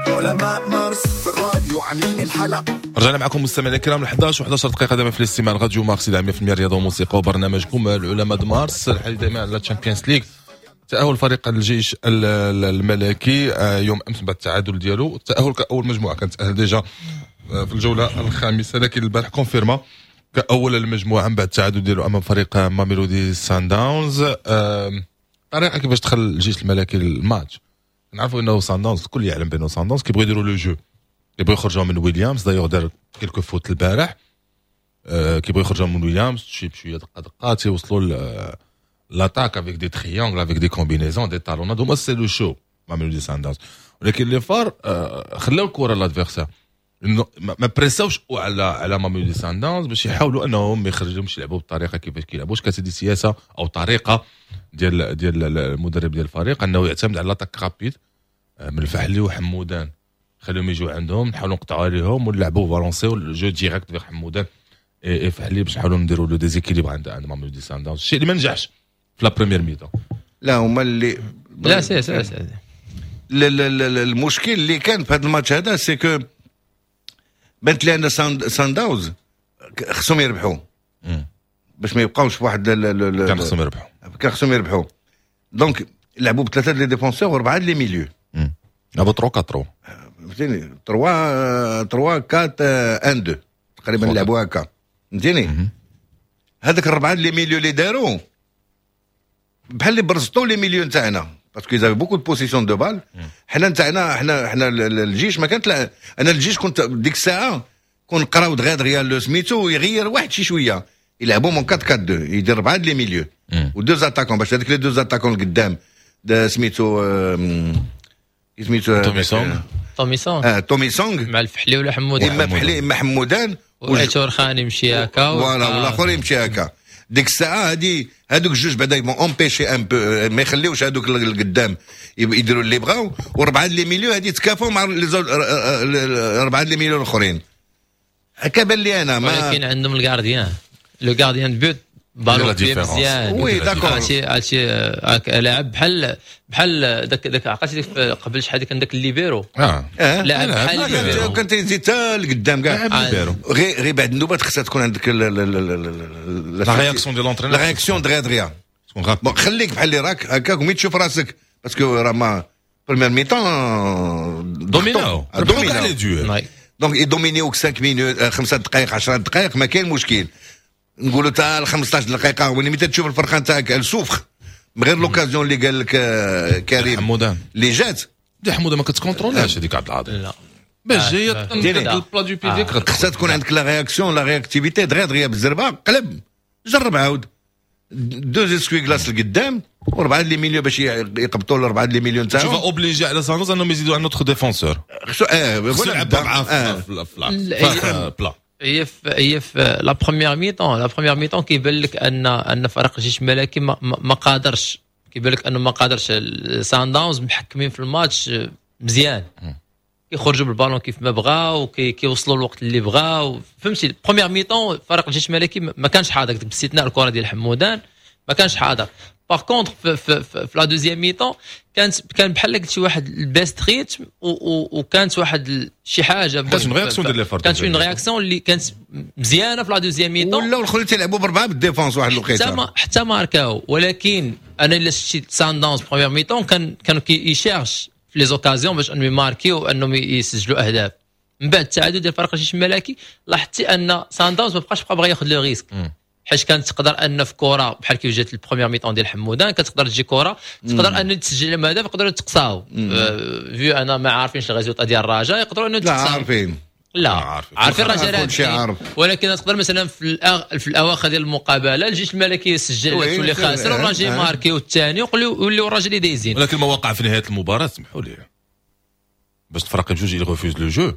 علماء مارس في الراديو عاملين الحلقة. رجعنا معكم مستمعينا الكرام احد عشر وأحد عشر دقيقة دائما في الاستماع راديو مارس مية بالمية رياضة وموسيقى وبرنامجكم العلماء د مارس. الحديث دائما على Champions League. تأهل فريق الجيش الملكي يوم امس بعد التعادل ديالو، التأهل كأول مجموعة كانت تأهل déjà في الجولة الخامسة، لكن البارح confirma كأول المجموعة من بعد التعادل ديالو امام فريق ماميلودي سانداونز. طريقة كيفاش دخل الجيش الملكي الماتش، نعرفوا انه سانداونز الكل يعلم بانه سانداونز كيبغيو يديروا le jeu، كيبغيو يخرجوا من ويليامز. دايوغ دار quelques fautes البارح، كيبغيو يخرجوا من ويليامز شي بشوية دقه دقه تيوصلوا l'attaque avec des triangles avec des combinaisons des talonnades هما c'est le show ماميلودي سانداونز. ولكن les FAR خلاو الكره l'adversaire، ما بريساوش على على ماميلودي سانداونز باش يحاولوا انهم ما يخرجوهمش يلعبوا بالطريقة كيفاش كيلعبوا. واش كانت هذه سياسة او طريقه ديال ديال المدرب ديال الفريق انه يعتمد على l'attaque rapide من الفحلي وحمودان، خليهم يجوا عندهم نحاولوا نقطعوا عليهم ونلعبوا بالونسيو ال jeu direct في حمودان et فحلي باش نحاولوا نديروا le déséquilibre عند عند ماميلودي سانداونز، الشيء اللي ما نجحش في la première mi-temps. لا هما اللي لا سي سي سي المشكل اللي كان في هذا الماتش هذا c'est que بانت لي ان سانداونز خصهم يربحوا باش ما يبقاوش في واحد كان خصهم يربحوا كان خصهم يربحوا donc لعبوا بثلاثة les défenseurs واربعة les milieux، لعبوا ثلاثة أربعة فهمتيني ثلاثة ثلاثة أربعة واحد اثنين تقريبا لعبوا هكا فهمتيني. هذاك الربعه les milieux اللي داروا بحال اللي برزطوا les milieux نتاعنا parce qu'ils avaient beaucoup de possession de balle. حنا نتاعنا حنا حنا الجيش ما كانت، انا الجيش كنت ديك الساعة كون قراو دغيا دغيا لو سميتو يغير واحد شي شوية يلعبوا من أربعة أربعة اثنين يدير ربعه les milieux و deux attaquants باش هذوك les deux attaquants القدام سميتو سميتو تومي سونغ تومي سونغ اه تومي سونغ مع الفحلي ولا حمودان، اما فحلي اما حمودان وعيتور خان يمشي هكا voilà والاخر يمشي هكا. ديك الساعة هادي هادوك الجوج بعدا ils vont empêcher un peu ما يخليوش هادوك القدام يديروا اللي بغاو، وربعه les milieux هادي تكافوا مع ربعه les milieux الاخرين هكا بان لي انا. ما ولكن عندهم ال gardien le gardien de but ballon مزيان oui d'accord عرفتي عرفتي لاعب بحال بحال داك داك عقلتي قبل شحال كان داك الليبيرو اه لاعب بحال الليبيرو كان تيزيد حتى لقدام كاع غير غير بعد النوبات خصها تكون عندك la réaction ديال l'entraîneur la réaction دغيا دغيا bon خليك بحال اللي راك هكاك ومي تشوف راسك parce que راه ما première mi-temps دوميناو دوميناو. donc يدومينيوك خمسة minutes، خمسة دقائق، عشرة دقائق، ما كاين مشكل. نقولوا حتى خمسطاش دقيقه، وملي تشوف الفرقة نتاعك souffre غير l'occasion اللي قال لك آه، كريم حمودان اللي جات. دي حموده ما كتكونترولهاش هذيك عبد العظيم. لا. باش جاية ال plat du pied ديالك. خصها تكون عندك la réaction، la réactivité دغيا دغيا بالزربه، قلب جرب عاود deux essuie-glaces لقدام وربعه les milieux باش يقبطوا الاربعة les milieux نتاعهم. tu vas obliger على ساندوز انهم يزيدوا un autre défenseur. خصو اه خصو يلعب معاه في في plat. هي في هي في la première mi-temps، la première mi-temps كيبان لك ان ان فريق الجيش الملكي ما, ما قادرش، كيبان لك انه ما قادرش. سان داونز محكمين في الماتش مزيان، كيخرجوا بالبالون كيف ما بغاو، كيوصلوا الوقت اللي بغاو، فهمتي. première mi-temps فريق الجيش الملكي ما كانش حاضر، باستثناء الكره ديال حمودان ما كانش حاضر. par contre في, في, في, في la deuxième mi-temps كانت كان بحال قلت شي واحد ال baisse rythme، وكانت واحد شي حاجة كانت une réaction ديال les كانت une réaction اللي كانت مزيانه في la deuxième mi-temps. ولاو الاخرين تيلعبوا بربعه بال défense واحد الوقيته حتى ما حتى ماركاو. ولكن انا الا شتي سان داونز première mi-temps كان كانوا كي cherche في les occasions باش انهم يماركيو وانهم يسجلوا اهداف. من بعد التعادل ديال فريق الجيش الملكي لاحظتي ان سان داونز ما بقاش بقى بغى ياخذ le risque، حيت كانت تقدر ان في كره بحال كيف جات ال première mi-temps ديال حمودان كتقدر تجي كره تقدر ان تسجل لهم هدف، يقدروا يتقصاو vu انا ما عارفينش ال résultat ديال الرجاء، يقدروا انه لا عارفين. لا عارفين، عارفين الرجاء عارف. ولكن تقدر مثلا في الأغ... في الاواخر ديال المقابلة الجيش الملكي يسجل تولي خاسر والرجاء ماركي والثاني ويوليو الرجاء اللي دايزين. ولكن ما وقع في نهاية المباراه، سمحوا لي، باش الفرق بجوج ils refusent le jeu.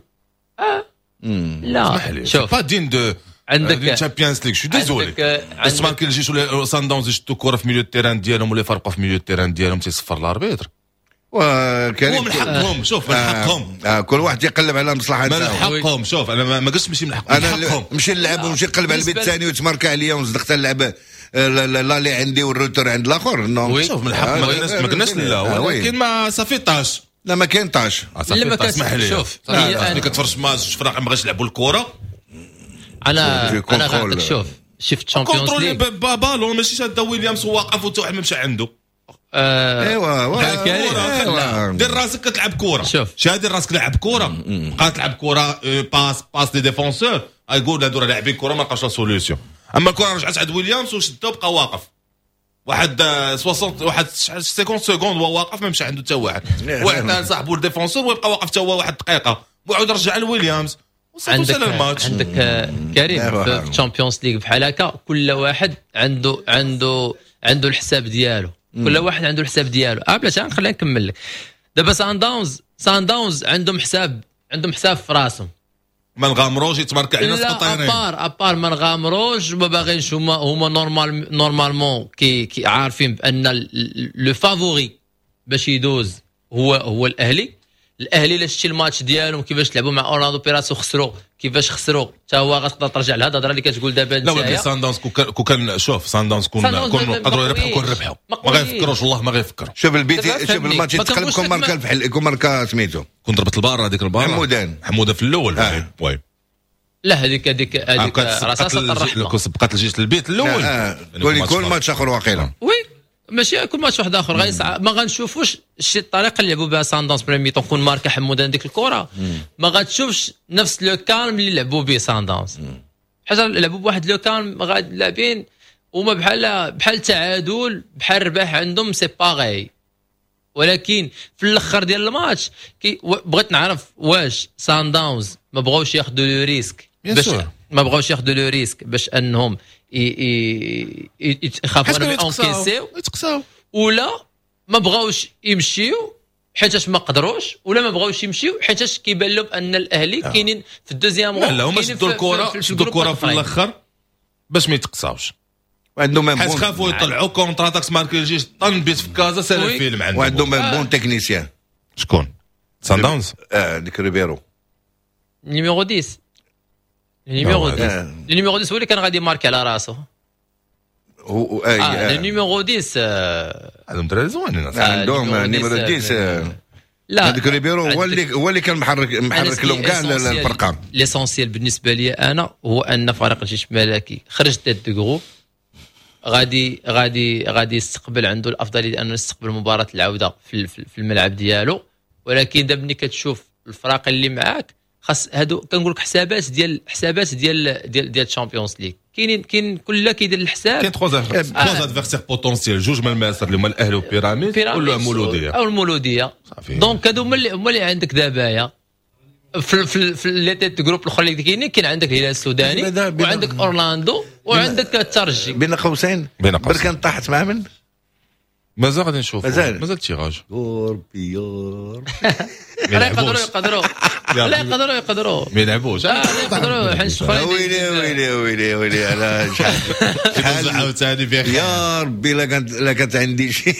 اه لا شوف pas digne de عندك Champions League، je suis désolé. بس ماركي الجيش ولا سان داونز يشدوا كره في milieu terrain ديالهم ولا يفرقوا في milieu terrain ديالهم تيصفر l'arbitre. وكريم هو من حقهم، شوف من حقهم. آه كل واحد يقلب على مصلحة من حقهم. شوف انا ما قلتش ماشي من حقهم، انا نمشي نلعب ونمشي نقلب على البيت الثاني وتماركا عليا ونصدق نلعب لا اللي عندي وال retour عند الاخر. non شوف من حق، ما قلناش ما قلناش لا، ولكن ما ça fait tache. لا ما كاين tache. لا ما اسمح لي. شوف ملي كتفرج ماتش فرق ما بغاش يلعبوا الكره. انا انا غنعطيك، شوف شفت Champions League بالون ماشي شاد ويليامز واقف وتا واحد ما مشى عنده. ايوا ايوا دير راسك كتلعب كره. شوف شادي راسك لعب كره، بقى تلعب كره passe passe les défenseurs، يقول هادو راه لاعبين كره ما لقاوش la solution. اما الكره رجعت عند ويليامز وشدو بقى واقف واحد ستين واحد cinquante secondes هو واقف ما مشى عنده حتى واحد، واحد صاحبو ال défenseur ويبقى واقف حتى هو واحد دقيقة وعاود رجع لويليامز. عندك عندك كريم في Champions League بحال هكا كل واحد عنده عنده عنده الحساب ديالو، كل واحد عنده الحساب ديالو. اه بلاتي خلينا نكمل لك. دابا سان داونز سان داونز عندهم حساب، عندهم حساب في راسهم. ما نغامروش يتمارك علينا سقطيرين. à part à part ما نغامروش، ما باغينش هما هما normal normalement كي, كي عارفين بان le favori باش يدوز هو هو الاهلي. الاهلي الا شتي الماتش ديالهم كيفاش لعبوا مع اورلاندو بيراتس وخسروا، كيفاش خسروا حتى هو غتقدر ترجع لهذا الهضرة اللي كتقول دابا انت. لا ولكن سان داونز كون كان شوف سان داونز كون كون قدروا يربحوا كون ربحوا، ما غيفكروش والله ما غيفكروا. شوف البيت، شوف الماتش يتقلب كون ماركا الفحل، كون ماركا سميتو كون ضربت البارة هذيك البارة حمودان حموده في الاول. آه. oui لا هذيك هذيك هذيك رصاصة الرحمة كون سبقت الجيش للبيت الاول كون يكون ماتش اخر واقيلا. oui ماشي يكون ماتش واحد اخر، غير ما غنشوفوش شي الطريقة اللي لعبوا بها سان داونز première mi-temps كون ماركا حمودان ديك الكره ما غتشوفش نفس le calme اللي لعبوا به سان داونز. حيت لعبوا بواحد le calme غاد لاعبين وما بحال بحال تعادل بحال رباح عندهم c'est pareil. ولكن في الاخر ديال الماتش كي بغيت نعرف واش سان داونز ما بغاوش ياخذوا le risque باش ما بغاوش ياخذوا le risque باش انهم يخافوا انهم encaisser يتقساو، ولا ما بغاوش يمشيو حيتاش ما قدروش، ولا ما بغاوش يمشيو حيتاش كيبان لهم ان الاهلي كاينين في ال deuxième rang. لا هما شدوا الكره شدوا الكره في الاخر باش ما يتقساوش، وعندهم حيت خافوا يطلعوا contre-attaque ماركي الجيش طن بيت في كازا سال الفيلم عندهم، وعندهم bon technicien. شكون سان داونز؟ اه ديك ريبيرو numéro عشرة، numéro عشرة numéro عشرة هو اللي كان غادي ماركي على راسو. هو اه numéro عشرة عندهم دراري زوينين عندهم numéro عشرة. لا هذاك ريبيرو هو اللي هو اللي كان محرك محرك لهم كاع الفرقة. l'essentiel بالنسبة لي انا هو ان فريق الجيش الملكي خرج tête de groupe، غادي غادي غادي يستقبل، عنده الافضلية انه يستقبل مباراة العودة في في الملعب ديالو. ولكن دابا ملي كتشوف الفرق اللي معاك خاص هادو كنقول لك حسابات ديال حسابات ديال ديال ديال ال Champions League كاينين، كاين كل كيدير الحساب. كاين trois trois adversaires potentiels، جوج من مصر اللي هما الاهلي وبيراميد ولا المولوديه. او المولوديه. donc هادو هما اللي هما اللي عندك دابايا في في في les têtes groupe الاخرى اللي كاينين. كاين عندك الهلال السوداني وعندك اورلاندو وعندك الترجي. بين قوسين بين قوسين بركان طاحت مع من؟ مازال غادي نشوف، مازال مازال tirage. ربي يا ربي. لا يقدروا يقدروا، لا يقدروا يقدروا ما يلعبوش. لا يقدروا حيت ويلي ويلي ويلي ويلي على شحال عاوتاني بخير يا ربي. لا كانت لا كانت عندي شي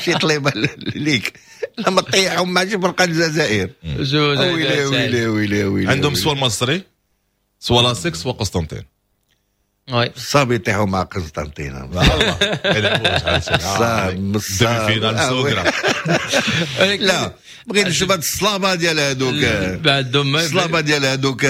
شي طليبه ليك لما طيحهم مع شي فرقه الجزائر. ويلي ويلي ويلي ويلي. عندهم soit المصري soit l'ASEC soit قسطنطين. oui صافي يطيحوا مع قسطنطين. والله ما يلعبوش. صعب demi-finale سوغرا. لا بغيت نشوف هاد الصلابة ديال هادوك، بعدهم الصلابة ديال هادوك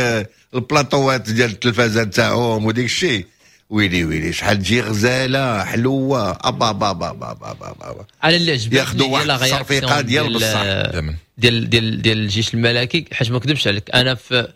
البلاطوات ديال التلفازه تاعهم وديك الشيء. ويلي ويلي شحال تجي غزاله حلوة. ابا با با با با با با. على اللي عجبتني ياخذوا واحد التصرفيقه ديال بصح ديال ديال ديال الجيش الملكي، حيت ما نكذبش عليك انا في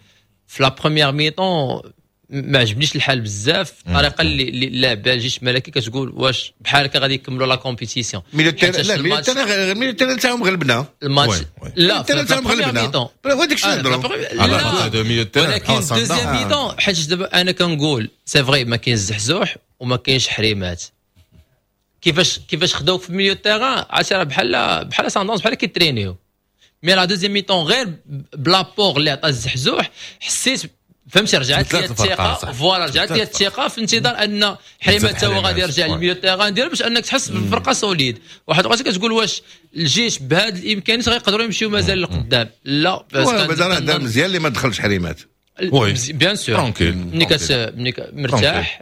في la première mi-temps ما عجبنيش الحال بزاف الطريقة اللي اللي لعب بها الجيش الملكي. كتقول واش بحال هكا غادي يكملوا la compétition؟ milieu لا milieu terrain تاعهم غلبنا الماتش. لا تاعهم غلبنا هذاك الشيء نهضروا على milieu terrain. ولكن deuxième mi-temps حيت دابا انا كنقول c'est vrai ما كاينش زحزوح وما كاينش حريمات. كيفاش كيفاش خداوك في milieu terrain عرفتي راه بحال بحال ساندونس بحال كيترينيو. mais la deuxième mi-temps غير ب l'apport اللي عطى الزحزوح حسيت فهمتي رجعت لي الثقة. voilà رجعت لي الثقة في انتظار ان حريمات تا هو غادي يرجع لل milieu terrain ديالو باش انك تحس بالفرقة solide. واحد الوقت كتقول واش الجيش بهذه الامكانيات غيقدروا يمشيو مازال لقدام؟ لا بس دار مزيان اللي ما دخلش حريمات. oui bien sûr tranquille ملي كت ملي مرتاح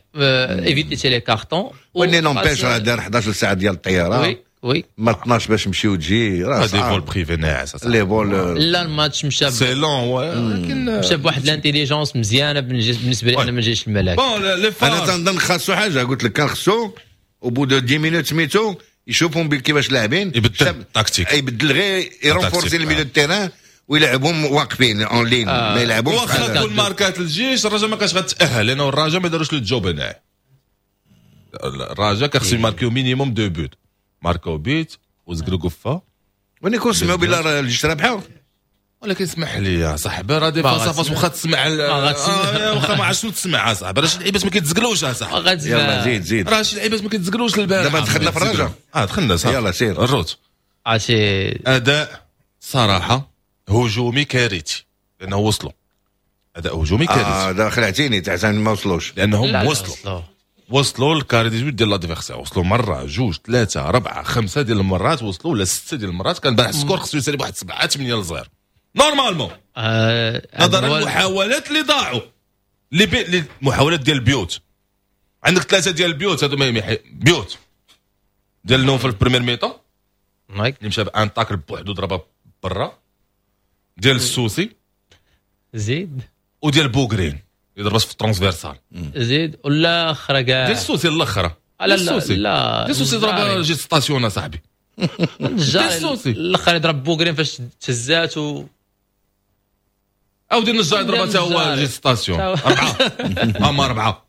éviter les cartons. وني n'empêche راه دار حداش ساعة ديال الطيارة. oui oui ما اثناش باش نمشيو تجي راه des vols privés ناعس les vols. لا الماتش مشى c'est long ولكن مشى بواحد l'intelligence مزيانه بالنسبة لي انا من الجيش الملكي. bon انا تنظن خاصو حاجة قلت لك كان خصو au bout de dix minutes سميتو يشوفهم كيفاش لاعبين يبدل tactique يبدل غير ي renforcer ال milieu terrain ويلعبهم واقفين en ligne ما يلعبوش. واخا تكون ماركات الجيش الرجاء ما كانش غتاهل لانه الرجاء ما داروش le job هنا. الرجاء كان خصو يماركيو minimum deux buts، ماركاو بيت وزكرو قفة وني كون سمعوا بلا الجيش رابحه. ولكن اسمح لي يا صاحبي راه des face à face واخا تسمع واخا ما عرفتش شنو تسمع اصاحبي راه شي لعيبات ما كيتزقلوش اصاحبي. يلا زيد زيد راه شي لعيبات ما كيتزقلوش البارح. دابا دخلنا في الرجاء. اه دخلنا صافي يلا سير الروت. عرفتي اداء صراحة هجومي كارثي لانه وصلوا اداء هجومي كارثي. اه دا خلعتيني تاع ما وصلوش لانهم وصلوا وصلوا لل carré dix-huit ديال l'adversaire، وصلوا مرة جوج ثلاثة اربعة خمسة ديال المرات وصلوا ولا ستة ديال المرات. كان البارح ال score خصو يسالي بواحد سبعة ثمانية لصفر normalement. آه نظرا للمحاولات اللي ضاعوا اللي بي... المحاولات ديال البيوت. عندك ثلاثة ديال البيوت هادو ما بيوت ديال نوفل في ال première mi-temps اللي مشى ب un tacle بوحدو ضربها برا، ديال السوسي زيد وديال بوغرين اللي ضربات في ال transversale زيد والاخرى كاع ديال السوسي الاخرى. لا لا لا ديال السوسي ضرب جي station صاحبي. ديال السوسي الاخر ضرب بوغرين فاش تهزات و او ديال النجار ضربها حتى هو جي station اربعة اما اربعة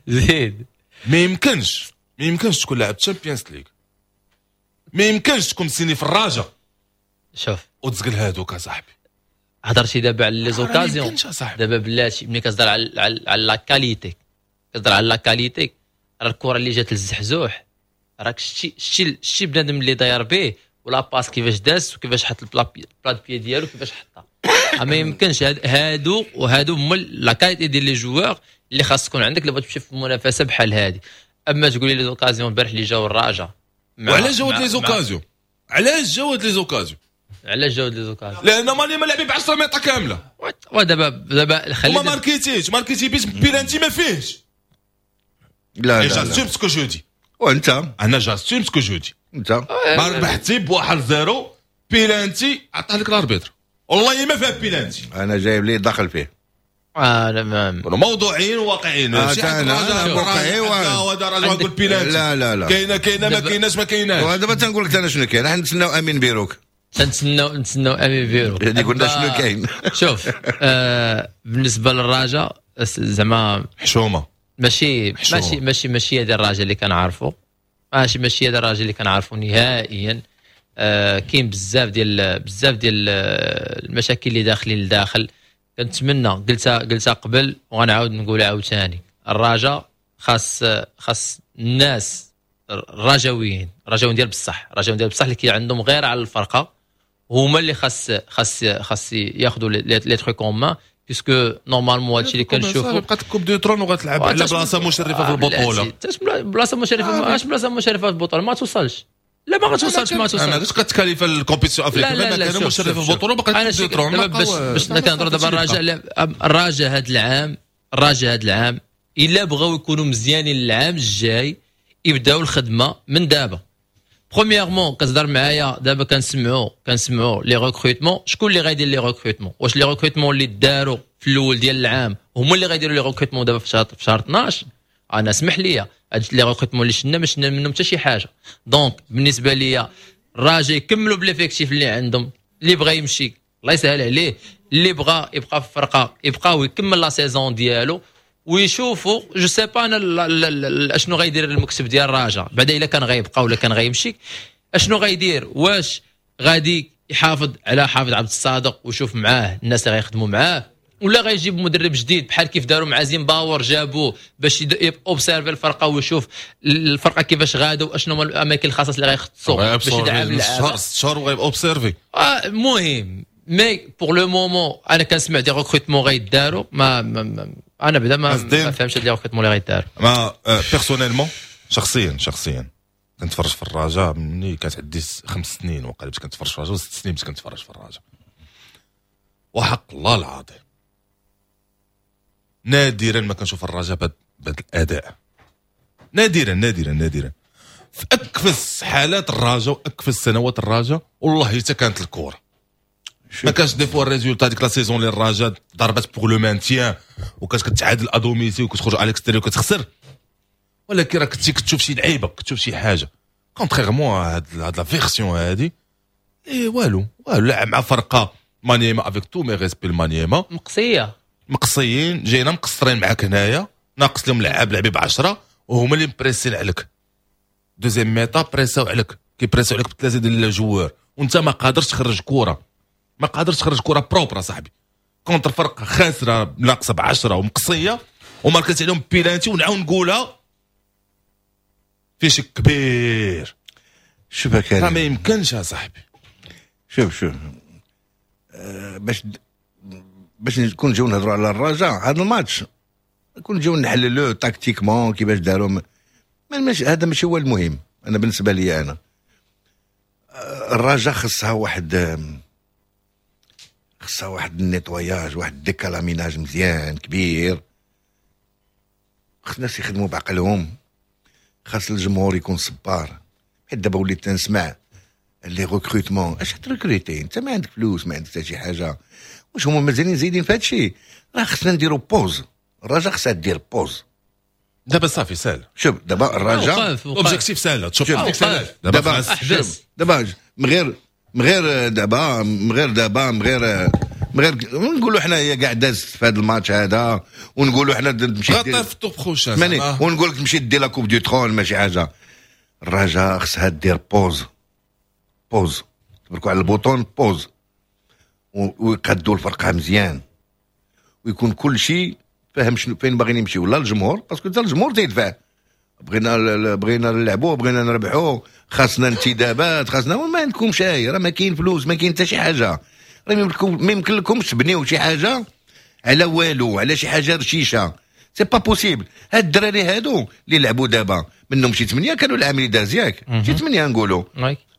زيد. ما يمكنش ما يمكنش تكون لاعب Champions League، ما يمكنش تكون signé في الرجاء شوف وتزقل هادوك اصاحبي. هضرتي دابا على les occasions دابا بلاتي ملي كتهضر على على la qualité كتهضر على la qualité راه الكره اللي جات للزحزوح راك شتي شتي شتي بنادم اللي داير به و la passe كيفاش داز وكيفاش حط ال plat pied ديالو كيفاش حطها. ما يمكنش هادو وهادو هما la qualité ديال les joueurs اللي خاص تكون عندك اللي بغيت تمشي في منافسه بحال هادي. اما تقولي les occasions البارح اللي جاو الرجاء وعلاش جاو les occasions؟ علاش جاو les occasions؟ علاش جاو les occasions؟ لان مالي ما لعبي ب عشرة متر كاملة. ودابا دابا خلي وما ماركيتيش ماركيتي بيت بيلانتي ما فيهش. لا لا j'assume ce que je dis. وانت انا j'assume ce que je dis. انت ما ربحتي بواحد zéro penalty عطاه لك l'arbitre والله ما فيها بيلانتي. انا جايب لي دخل فيه. اه لا ما موضوعيين وواقعيين. آه انا واقعي وهذا راجل يقول بيلانتي. لا لا لا كاينه كاينه ما كايناش ما كايناش. ودابا تنقول لك انا شنو كاين. حنا نتسناو امين بيروك. تنتسناو نتسناو امين بيرو. يعني قلنا شنو كاين. شوف آه بالنسبة للرجاء زعما حشومه، ماشي ماشي ماشي ماشي هذا الرجاء اللي كنعرفو، ماشي ماشي هذا الرجاء اللي كنعرفو نهائيا. آه كاين بزاف ديال بزاف ديال المشاكل اللي داخلين لداخل. كنتمنى، قلتها قلتها قبل وغنعاود نقولها عاوتاني، الرجاء خاص خاص الناس الرجاويين، الرجاويين ديال بصح، الرجاويين ديال بصح اللي كي عندهم غير على الفرقة، هما اللي خاص خاص خاص ياخذوا les trucs en main، puisque normalement هادشي اللي كنشوفو بقات coupe du trône وغتلعب على بلاصة مشرفة في البطولة. بلاصة مشرفة، اش بلاصة مشرفة في البطولة؟ ما توصلش، لا ما غتوصلش، ما توصلش. انا علاش كتكاليف ال compétition africaine ما كان مشرفة في البطولة بقات coupe du trône. باش باش كنهضروا دابا الرجاء، الرجاء هذا العام، الرجاء هذا العام الا بغاو يكونوا مزيانين العام الجاي يبداو الخدمة من دابا. premièrement كتهضر معايا دابا كنسمعوا كنسمعوا les recrutements، شكون اللي غايدير les recrutements؟ واش les recrutements اللي داروا في الاول ديال العام هما اللي غايديروا les recrutements دابا في شهر في شهر اثنا عشر؟ انا اسمح لي، هاد les recrutements اللي شفنا ما شفنا منهم حتى شي حاجه. donc بالنسبة ليا الرجاء يكملوا ب l'effectif اللي عندهم، اللي بغى يمشي الله يسهل عليه، اللي بغى يبقى في الفرقة يبقى ويكمل la saison ديالو، ويشوفوا je sais pas انا اشنو غيدير المكتب ديال الرجاء بعدا، الا كان غيبقى ولا كان غيمشي اشنو غيدير، واش غادي يحافظ على حافظ عبد الصادق ويشوف معاه الناس اللي غيخدموا معاه، ولا غيجيب مدرب جديد بحال كيف داروا مع زيمباور، جابوه باش observer الفرقة ويشوف الفرقة كيفاش غاده واشنو هما الاماكن الخاصة اللي غيخصوا باش يدعم اللعابه. شهر شهر وغيب observer. المهم mais pour le moment انا كنسمع des recrutements غيداروا، ما, ما, ما انا بعدا ما, ما فهمتش هاد les recrutements اللي غيداروا. ما personnellement، شخصيا شخصيا كنتفرج في الرجاء مني كانت عندي خمس سنين وقال باش كنتفرج في الرجاء، ست سنين باش كنتفرج في الرجاء، وحق الله العظيم نادرا ما كنشوف الرجاء بهذا الاداء، نادرا نادرا نادرا. في اكفس حالات الرجاء واكفس سنوات الرجاء والله حتى كانت الكره، ما كانش des fois ال résultat. ديك la saison اللي الرجاء ضربت pour le maintien وكانت كتعادل à domicile وكتخرج على l'extérieur وكتخسر، ولكن راه كنتي كتشوف شي لعيبه، كتشوف شي حاجه، contrairement هاد هاد la version هادي اي والو والو. لعب مع فرقه مانيما، avec tous mes respects المانيما. مقصيه. مقصيين، جاينا مقصرين معاك هنايا، ناقص لهم لعاب، لعبي ب عشرة وهما اللي مبريسين عليك. deuxième mi-temps بريساو عليك، كيبريساو عليك بثلاثة ديال les joueurs وانت ما قادرش تخرج كره، ما قادرش تخرج كره propre صاحبي contre فرقه خاسرة ناقصه ب عشرة ومقصيه وماركت عليهم بيلانتي. ونعاود نقولها، في شك كبير. شوف كريم، ما يمكنش يا صاحبي. شوف شوف، أه باش باش نكون نجيو نهضروا على الرجاء هذا الماتش، نكون نجيو نحللوه tactiquement كيفاش داروا، ما هذا ماشي هو المهم. انا بالنسبة لي انا آه، الرجاء خصها واحد خصها واحد ال nettoyage، واحد décalaminage مزيان كبير. خص الناس يخدموا بعقلهم، خاص الجمهور يكون صبار، حيت دابا وليت تنسمع les recrutements. اش ت recruter؟ انت ما عندك فلوس، ما عندك حتى شي حاجه. واش هما مازالين زايدين في هادشي؟ راه خصنا نديرو pause، الرجاء خصها دير pause. دابا صافي سهل. شوف دابا الرجاء objectif سهل، تشوف سهل دابا. دابا من غير من غير دابا من غير دابا من غير من غير نقولوا حنا هي كاع دازت في هذا الماتش هذا، ونقولوا حنا تمشي في ال tour prochain. ونقول لك تمشي دير la coupe du trône، ماشي حاجه. الرجاء خصها دير pause، pause، تبركوا على ال bouton pause ويقادوا الفرقة مزيان ويكون كل شيء فاهم شنو فين باغيين يمشيو. لا الجمهور، parce que حتى الجمهور تيدفع، بغينا بغينا نلعبوا، بغينا نربحوا، خاصنا انتدابات، خاصنا. ما عندكمش، راه ما كاين فلوس، ما كاين حتى شي حاجه. راه ما يمكن لكمش تبنيو شي حاجة على والو، على شي حاجة رشيشه، c'est pas possible. هاد الدراري هادو اللي لعبوا دابا منهم شي ثمانية كانوا العام اللي داز، ياك؟ شي ثمانية نقولوا.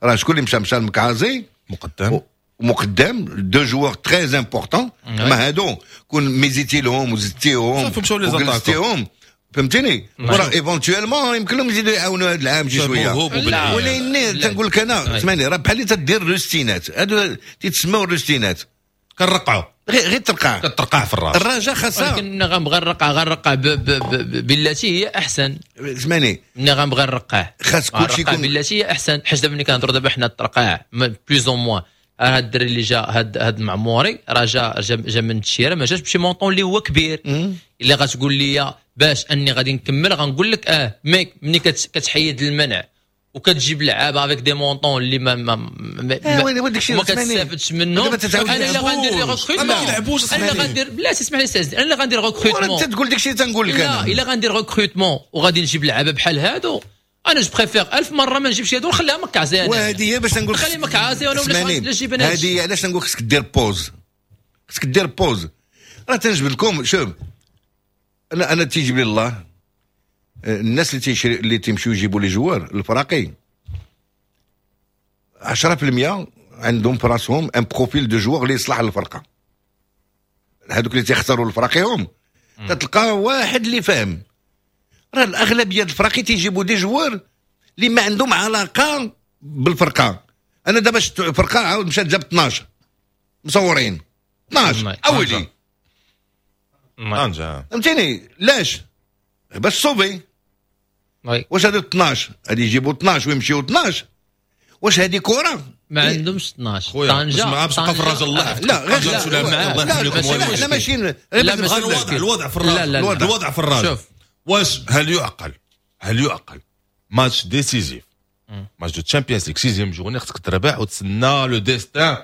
راه شكون اللي مشى؟ مشى المكعازي. مقدم. مقدم، deux joueurs très importants. ما هادو كون ميزيتي لهم وزدتيهم وجلستيهم، فهمتيني؟ وراه éventuellement يمكن لهم يزيدوا يعاونوا هذا العام شي شويه. ولكن تنقول لك انا، اسمعني، راه بحال اللي تدير الروستينات، هادو تيتسموا الروستينات. كنرقعوا. غير غير ترقع. كترقع في الراس. الرجاء خاصها ولكن غنبغي نرقع، غنرقع بالتي هي احسن. اسمعني. ملي غنبغي نرقع خاص كلشي يكون بالتي هي احسن، حيت دابا ملي كنهضروا دابا حنا الترقاع plus ou moins. هاد الدري اللي جا هاد هاد المعموري راه جا جا من التشيره، ما جاش بشي montant اللي هو كبير. الا غتقول لي باش اني غادي نكمل غنقول لك اه، mais ملي كتحيد المنع وكتجيب لعابه avec des montants اللي ما ما ما, ما, ما كتستافدش منهم. انا الا غندير les recrutements ما كيلعبوش. انا غندير، بلاتي اسمح لي سي، انا غندير recrutement. انت تقول داكشي تنقول لك. انا لا، الا غندير recrutement وغادي نجيب لعابه بحال هادو، انا je préfère ألف مرة ما نجيبش هادو ونخليها مكعزيه. وهذه هي باش نقول خلي مكعزيه وانا ولا نجيب انا. هذه علاش نقول خصك دير pause، خصك دير pause. راه تنجبد لكم، شوف انا انا تيجيب لي الله الناس اللي تيشري اللي تيمشيو يجيبوا les joueurs الفراقي عشرة في المية عندهم في راسهم un profil de joueur اللي يصلح للفرقة. هذوك اللي تيختاروا الفراقيهم تتلقى واحد اللي فاهم. راه الاغلبية الفراقي تيجيبوا des joueurs اللي ما عندهم علاقة بالفرقة. انا دابا شفت فرقه عاود مشات جابت اثناش مصورين اثناش اولي طنجة، فهمتيني؟ لاش؟ باش sauver. واش هادو اثناش غادي يجيبوا اثناش ويمشيو اثناش؟ واش هذه كره؟ ما عندهمش اثناش طنجة. ما باش تبقى في الرجل الله. لا غير لا لا لا ماشي لا الوضع الوضع في الرجل، الوضع في الرجل. واش هل يعقل، هل يعقل match décisif، match de Champions League، sixième journée، خصك تربح وتسنى le destin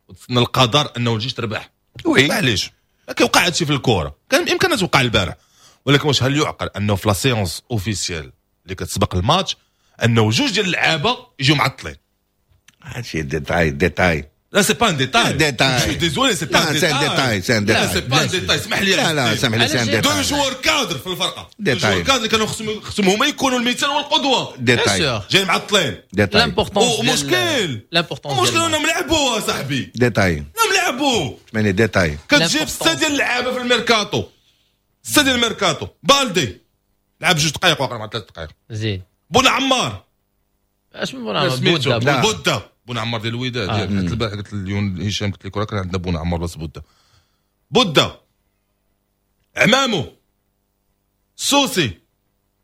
وتسنى القدر انه الجيش تربح؟ oui معليش ما كيوقع هادشي في الكره، كان بامكانها توقع البارح، ولكن واش هل يعقل انه في la séance officielle اللي كتسبق الماتش انه جوج ديال اللعابه يجيو معطلين؟ هادشي détail détail. لا c'est pas un détail. détail. je suis désolé، c'est pas un détail. détail، c'est un détail. لا c'est pas un détail، اسمح لي. لا لا اسمح لي، c'est un détail. deux joueurs cadres في الفرقة، deux joueurs cadres اللي كانوا خصهم خصهم هما يكونوا المثال والقدوة، détail. جايين معطلين. détail. l'importance ومشكل l'importance مشكل انهم لعبوا صاحبي. détail. انهم لعبوا ماني détail. كتجيب ستة ديال اللعابه في الميركاتو، ستة ديال الميركاتو. بالدي لعب جوج دقائق واقع مع ثلاث دقائق. زيد بون عمار، اش من بون عمار؟ بودا بودا بون عمار ديال الوداد. آه. حتى البارح قلت اليوم هشام قلت لك راه كان عندنا بون عمار بس بودا بودا عمامو سوسي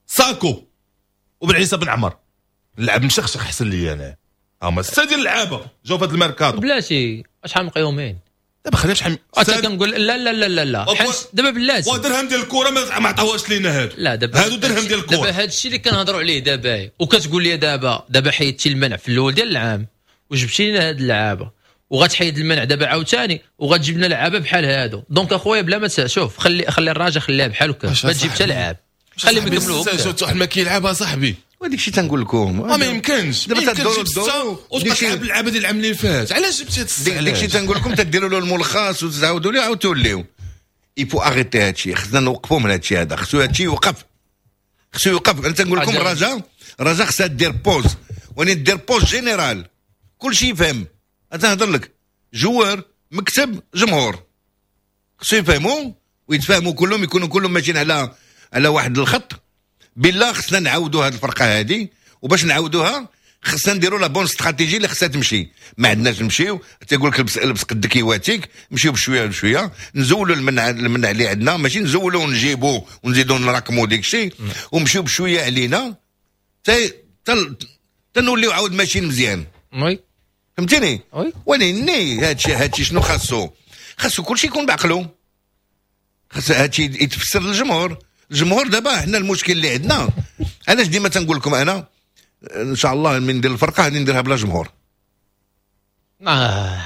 ساكو وبن عيسى بن عمر لعب مشخشخ حسن لي انا. هما ستة ديال اللعابه جاو في هذا الميركاتو. بلاتي شحال من يومين دابا خلينا شحال حتى كنقول لا لا لا لا لا دابا بلاتي ودرهم ديال الكره ما عطاوهاش لينا هادو. لا دابا هادو درهم ديال الكره. دابا هذا الشيء اللي كنهضروا عليه دابا، وكتقول لي دابا دابا حيدتي المنع في الاول ديال العام وجبتي لنا هاد اللعابه، وغتحيد المنع دابا عاوتاني وغتجيب لنا لعابه بحال هادو. donc اخويا بلا ما شوف، خلي خلي الراجل خليها بحال هكا، ما تجيب حتى لعاب، خليهم يكملوا. واحد ما كيلعبها صاحبي، وهذاك الشيء تنقول لكم ما يمكنش. دابا تدوروا الدور وتبقى تلعب اللعابه ديال العام اللي فات. علاش جبتي هاد الساعة؟ داك الشيء تنقول لكم تديروا له الملخص وتعاودوا له عاود توليو. il faut arrêter هادشي، خصنا نوقفوا من هادشي هذا، خصو هادشي يوقف، خصو يوقف. انا تنقول لكم الرجاء الرجاء خصها دير pause، وني دير pause générale، كلشي يفهم. انا تنهضر لك joueurs، مكتب، جمهور، خصو يفهموا ويتفاهموا كلهم، يكونوا كلهم ماشيين على على واحد الخط. بالله خصنا نعاودوا هذه الفرقة هذه، وباش نعاودوها خصنا نديروا la bonne stratégie اللي خصها تمشي. ما عندناش نمشيو تيقول لك لبس لبس قدك يواتيك، نمشيو بشوية بشوية، نزولوا المنع المنع اللي عندنا، ماشي نزولوا ونجيبوا ونزيدوا نراكموا ديك الشيء، ومشيو بشوية علينا حتى تنوليو عاود ماشيين مزيان. oui فهمتيني؟ oui ولكن هادشي هادشي شنو خاصو؟ خاصو كلشي يكون بعقلو، خاص هادشي يتفسر للجمهور. الجمهور دابا حنا المشكل اللي عندنا، علاش ديما تنقول لكم انا ان شاء الله من ندير الفرقة غادي نديرها بلا جمهور. اه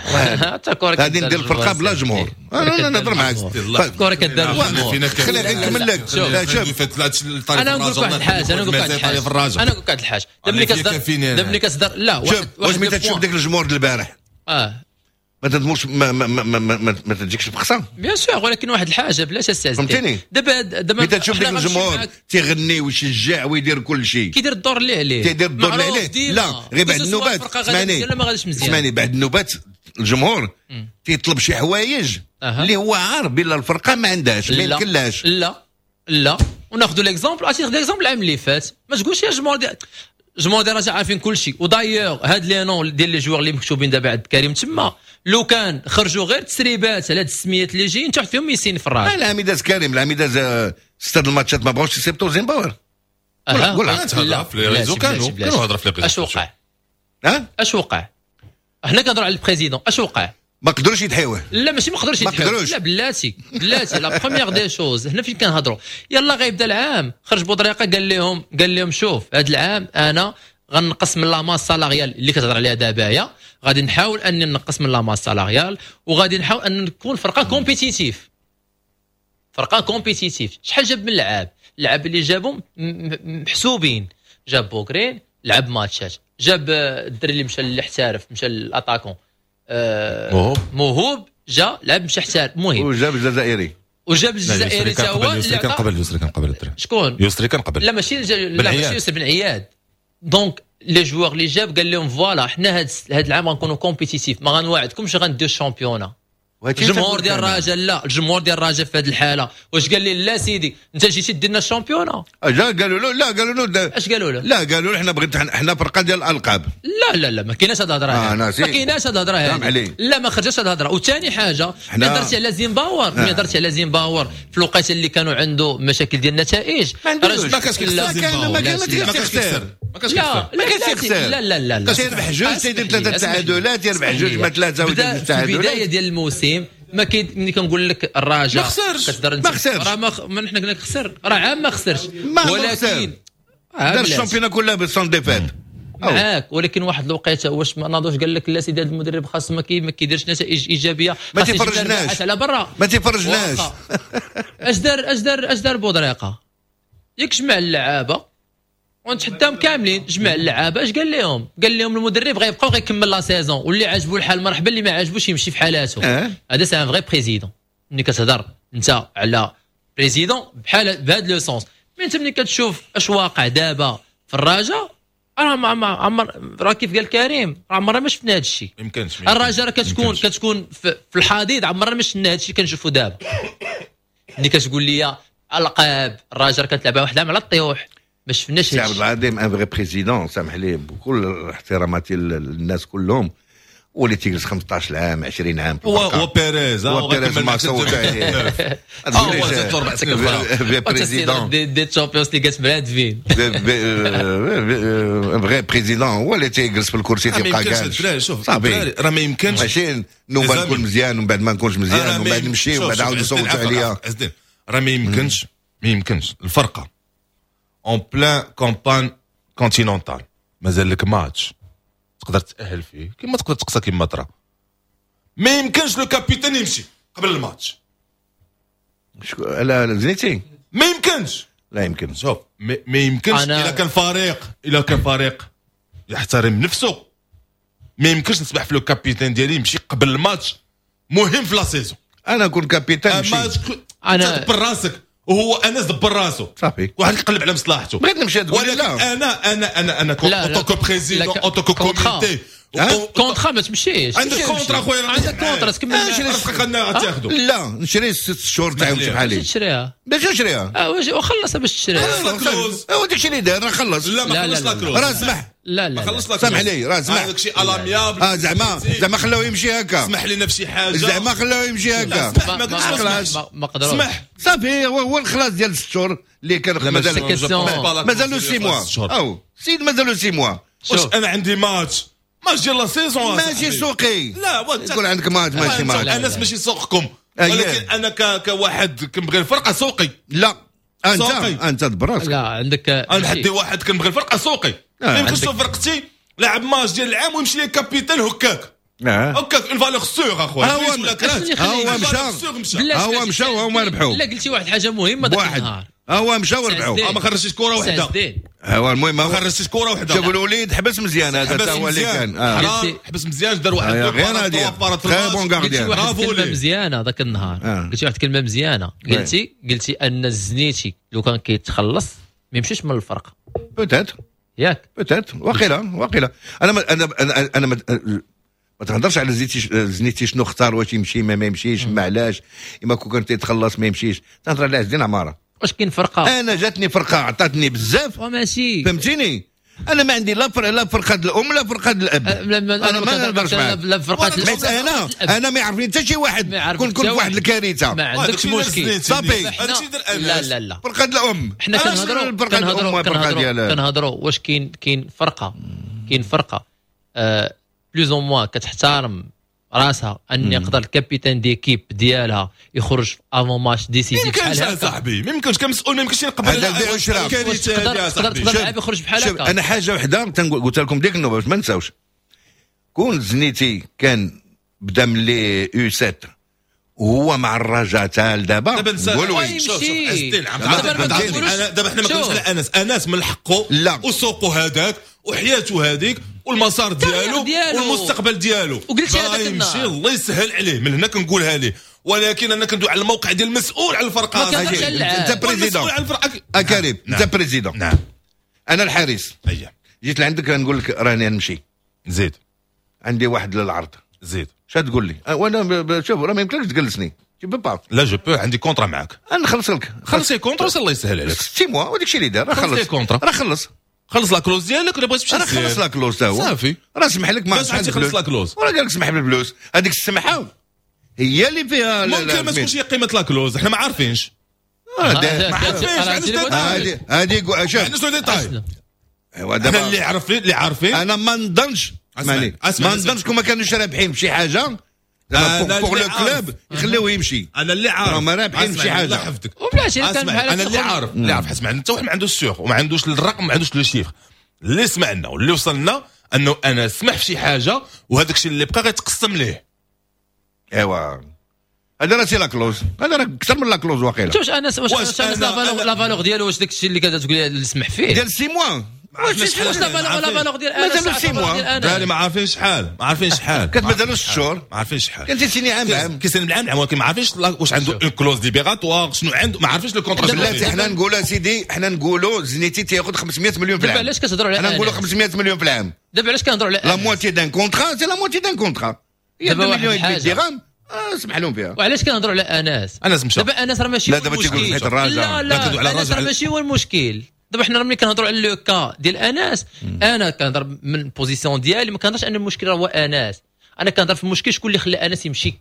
غادي ندير الفرقة بلا جمهور. انا نهضر معاك الكره كدار جمهور. خليني نكمل لك. شوف انا نقول لك واحد الحاجة، انا نقول لك واحد الحاجة، انا نقول لك واحد الحاجة. دابا ملي كتصدر دابا ملي كتصدر لا واحد، واش ملي تشوف داك الجمهور ديال البارح اه ما تدمرش، ما ما ما ما, ما, ما تجيكش بخصه bien sûr. ولكن واحد الحاجة بلاش استاذ، فهمتيني؟ دابا دابا ملي تشوف داك الجمهور تيغني ويشجع ويدير كل شيء، كيدير الدور اللي عليه، تيدير الدور اللي عليه. لا غير بعد النوبات اسمعني، اسمعني، بعد النوبات الجمهور تيطلب شي حوايج اللي هو عارف بلا الفرقة ما عندهاش، ما يمكنلهاش. لا لا وناخذوا l'exemple، عرفتي l'exemple العام اللي فات، ما تقولش يا جمهور ديال جمهور ديال الرجاء عارفين كل شيء. و d'ailleurs هاد les noms ديال les joueurs اللي مكتوبين دابا عند كريم تما، لو كان خرجوا غير تسريبات على هاد السميات اللي جايين تحت فيهم يسين في الراجل. العام داز كريم، العام داز ستة الماتشات ما بغاوش يسيبطوا زيمباور. قول قول في les réseaux كانوا كانوا هضره في les réseaux. اش وقع؟ ها اش وقع؟ حنا كنهضروا على ال président، اش وقع؟ ما قدروش يدحيوه. لا ماشي ما قدروش يدحيوه، لا بلاتي بلاتي la première des choses هنا فين كنهضروا، يلا غيبدا العام خرج بودريقه قال لهم قال لهم شوف هذا العام انا غنقص من la masse salariale اللي كتهضر عليها دابا، غادي نحاول اني نقص من la masse salariale وغادي نحاول ان نكون فرقه compétitive، فرقه compétitive. شحال جاب من لعاب؟ اللعاب اللي جابهم محسوبين، جاب بوكرين لعب ماتشات، جاب الدري اللي مشى اللي احترف مشى ل attaquant آه موهوب جا لعب مشى احترف، المهم وجاب الجزائري وجاب الجزائري تا هو. يسري كان قبل، يسري كان قبل الدري. شكون؟ يسري كان قبل. لا ماشي لا ماشي يسري بن عياد. donc les joueurs اللي جاب قال لهم voilà حنا هاد هاد العام غنكونوا compétitifs، ما غنواعدكمش غنديو ال championnat. الجمهور ديال الرجاء لا، الجمهور ديال الرجاء في هذه الحالة واش قال لي؟ لا سيدي انت جيتي دير لنا ال championnat. جا قالوا له لا، قالوا له اش قالوا له؟ لا قالوا له حنا بغيت حنا فرقه ديال الالقاب. لا لا لا ما كايناش هذه الهضرة، آه ما كايناش هذه الهضرة هذه، لا ما خرجتش هذه الهضرة. وثاني حاجة ملي هضرتي على زيمباور، ملي هضرتي على زيمباور في الوقيته اللي كانوا عنده مشاكل ديال النتائج ما كانش كيخسر، ما كانش كيخسر، ما كانش كيخسر، ما كانش يخسر. لا لا لا لا تيربح جوج تيدير ثلاثة تعادلات، يربح جوج ما ثلاثة ويدير تعادلات. البداية ديال الموسم ما كاين ملي كنقول لك الرجاء ما خسرش، ما خسرش، راه ما حنا قلنا لك خسر، راه عام ما خسرش، ولكن دار ال championnat كلها ب sans défaite معاك. ولكن واحد الوقيته واش ما ناضوش قال لك لا سيدي هذا المدرب خاص ما كيديرش نتائج ايجابية، ما تيفرجناش على برا، ما تيفرجناش. اش دار اش دار اش دار بودريقه؟ ياك جمع اللعابه ونتحداهم كاملين، جمع اللعابه اش قال لهم؟ قال لهم المدرب غيبقى وغيكمل la saison، واللي عجبو الحال مرحبا، اللي ما عجبوش يمشي في حالاته. هذا c'est un vrai président. ملي كتهضر انت على président بحال بهذا le sens، mais انت ملي كتشوف اش واقع دابا في الرجاء راه ما عمر، راه كيف قال كريم راه عمرنا ما شفنا هذا الشيء. يمكنش الرجاء راه كتكون كتكون في الحضيض، عمرنا ما شفنا هذا الشيء كنشوفو دابا. ملي كتقول لي القاب الرجاء كتلعبها واحد العام على الطيوح، ما شفناش. سي عبد العظيم un vrai président، سامح لي بكل احتراماتي للناس كلهم، واللي تيجلس خمسطاش عام عشرين عام هو هو بيريز، هو بيريز ما صوت عليه، هو زاد اربع سنين vrai président des des Champions League براد فين vrai président هو اللي تيجلس في الكرسي تيبقى جالس. شوف راه ما يمكنش ماشي نوبه نكون مزيان ومن بعد ما نكونش مزيان ومن بعد نمشي ومن بعد عاود يصوتوا عليا. راه ما يمكنش، ما يمكنش الفرقة en pleine campagne continentale مازال لك ماتش تقدر تاهل فيه كما تقدر تقصى كما ترى، ما يمكنش le capitaine يمشي قبل الماتش. لا زنيتي ما يمكنش، لا يمكن. شوف ما يمكنش الا كان فريق، الا كان فريق يحترم نفسه ما يمكنش نسمح في le capitaine ديالي يمشي قبل الماتش مهم في la saison. انا نكون capitaine نمشي انا تدبر راسك وهو انس دبر راسو صافي، واحد يقلب على مصلحته. بغيت نمشي تقول لا انا انا انا انا en tant que président en tant que comité contrat ما تمشيش. عندك contrat خويا، عندك contrat تكمل رزقك تاخذو. لا نشري ست شهور تاعي ونمشي بحالي. تشريها باش نشريها اه وخلصها باش تشريها. هو داكشي اللي داير راه خلص. لا ما خلص la clause، راه سمح. لا لا خلص la clause، سمح لي راه سمح. هذاك الشيء à l'amiable. اه زعما زعما خلاوه يمشي هكا، سمح لنا في شي حاجة، زعما خلاوه يمشي هكا. ما قدروش سمح صافي. هو الخلاص ديال ست شهور اللي كان مازال مازالو six mois، او سيد مازالو six mois. واش انا عندي match match ديال la saison ماشي سوقي. لا يكون عندك ماتش ماشي ماتش، انس ماشي سوقكم، ولكن انا كواحد كنبغي الفرقة سوقي. لا انت انت دبر راسك. لا عندك انا حدي واحد كنبغي الفرقة سوقي، ما يمكنش فرقتي لعب ماتش ديال العام ويمشي لي capitaine هكاك هكاك une valeur sûre اخويا. هو مشى هو مشى وهما ربحوا. لا قلتي واحد الحاجة مهمة ذاك النهار، هو مشى وربحوا، ما خرجتش كره وحده. هو المهم ما خرجتش كره وحده. شوف الوليد حبس مزيان، هذا هو اللي كان آه. حبس مزيان، دار واحد غير bon gardien. برافو ليه مزيانه ذاك النهار. قلتي واحد الكلمة مزيانه، قلتي قلتي ان الزنيتي لو كان كيتخلص ما يمشيش من الفرقة peut-être ياك peut-être واقيلا واقيلا. انا ما انا انا انا ما تهضرش على زنيتي زنيتي شنو اختار واش يمشي ما, ما يمشيش ما علاش، اما كون كان تيتخلص ما يمشيش. تهضر على عز الدين عمارة. واش كاين فرقه؟ انا جاتني فرقه عطاتني بزاف وماشي فهمتيني. انا ما عندي لا فرقه لا فرقه الام لا فرقه الاب. انا ما نهضرش معاك لا فرقه. انا انا ما يعرفني حتى شي واحد، كون كون في واحد الكارثة ما عندكش مشكل صافي. لا لا لا فرقه الام حنا كنهضروا كنهضروا كنهضروا واش كاين كاين فرقه كاين فرقه آه plus ou moins كتحترم راسها ان يقدر ال capitaine d'équipe ديالها يخرج avant match décisif. ما يمكنش صاحبي، ما يمكنش كمسؤول، ما يمكنش يقبل هذا البيع والشراء. تقدر تقدر لاعب يخرج بحال هكا. انا حاجة وحده تنقول، قلت لكم ديك النوبة باش ما نساوش، كون زنيتي كان بدا من les U سبعة وهو مع الرجاء تاع دابا نقولوا شوف شوف دابا حنا ما كنقولوش على انس، انس من حقه وسوقه هذاك وحياته هذيك والمسار ديالو والمستقبل ديالو، وقلت هذاك يمشي الله يسهل عليه، من هنا كنقولها ليه. ولكن انا كندوي على الموقع ديال المسؤول على الفرقة. انت président اكريم، انت président. نعم انا الحارس. جيت لعندك نقول لك راني نمشي، زيد عندي واحد للعرض، زيد شنو تقول لي؟ وانا شوف راه ما يمكنلكش تجلسني، tu peux pas. لا je peux، عندي contrat معاك، انا نخلص لك. خلص لي contrat الله يسهل عليك. six mois وداك الشيء اللي دار راه خلص contrat، راه خلص خلص la clause ديالك ولا بغيت تمشي راه خلص la clause تا هو صافي، راه سمح لك ما خلص la clause، وراه قال لك سمح بالفلوس. هذيك السمحة هي اللي فيها ممكن ما تكونش هي قيمة la clause، حنا ما عارفينش. ما عارفينش هذه هذه شوف عندنا détails. ايوا دابا اللي عارفين اللي عارفين انا ما نظنش ما نظنش كون ما كانوش رابحين بشي حاجة pour le club يخليوه يمشي. انا اللي عارف ما رابحين بشي حاجة وبلاش كان بحال انا اللي عارف اللي عارف حسب حتى واحد ما عندوش ال sûr وما عندوش الرقم، ما عندوش le chiffre. اللي سمعنا واللي وصلنا انه انا سمح في شي حاجة وهذاك الشيء اللي بقى غيتقسم ليه. ايوا هذا راه c'est la clause، هذا راه اكثر من la clause واقيلا. واش انس واش انس la valeur ديالو، واش داك الشيء اللي كتقول اللي سمح فيه ديال six mois؟ واش la valeur la valeur ديال انس مازال six mois؟ لا ما عارفين شحال، ما عارفين شحال كتبدلوا ست شهور، ما عارفين شحال كان تيسيني عام بعام، كيسيني بالعام عام، ولكن ما عارفينش واش عنده une clause libératoire، شنو عنده، ما عارفينش le contrat. بلاتي حنا نقولوا سيدي، حنا نقولوا زنيتي تياخذ خمسمية مليون في العام. دابا علاش كتهضروا على حنا نقولوا خمسمية مليون في العام؟ دابا علاش كنهضروا على la moitié d'un contrat؟ c'est la moitié d'un contrat، هي مليون درهم اسمح لهم فيها. وعلاش كنهضروا على انس؟ انس مشى دابا انس راه ماشي لا دابا تيقول حيت الرجاء، لا لا انس راه ماشي هو المشكل. دابا حنا ملي كنهضروا على le cas ديال انس، انا كنهضر من position ديالي، ما كنهضرش ان المشكل راه هو انس، انا كنهضر في المشكل شكون اللي خلى انس يمشي.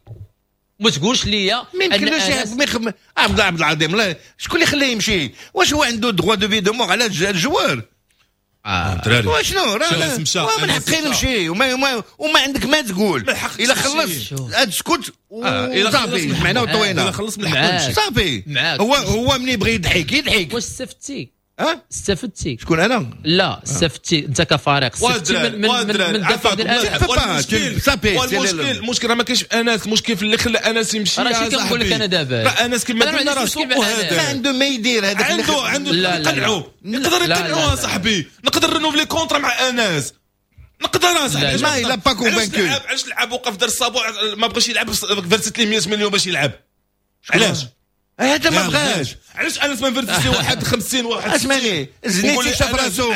ما تقولش ليا ان انس عبد عبد العظيم لا شكون اللي خلاه يمشي؟ واش هو عنده droit de vie de mort على ال joueur؟ اه وشنو راه من حقي نمشي وما وما, وما عندك ما تقول. الا خلص تسكت وصافي، جمعنا وطوينا. الا خلص من حقه يمشي صافي. هو هو ملي يبغي يضحك يضحك. واش استفدتي؟ ها استفدتي؟ شكون انا؟ لا استفدتي انت كفريق، استفدتي من من من الدفع ديال انس. والمشكل المشكل راه ما كاينش انس، المشكل في اللي خلى انس يمشي. راه شي كنقول لك انا دابا، راه انس كما قلنا راه سوقو هذا ما عنده ما يدير، هذاك عنده عنده نقنعو، نقدر نقنعو صاحبي، نقدر renouveler contrat مع انس، نقدر اصاحبي. ما il a pas convaincu. علاش لعب وقف دار الصابوع ما بغاش يلعب، verser ليه مية مليون باش يلعب؟ علاش؟ هذا ما بغاش. علاش انس ما verser واحد خمسين واحد؟ اسمعني زنيتي شاف راسو،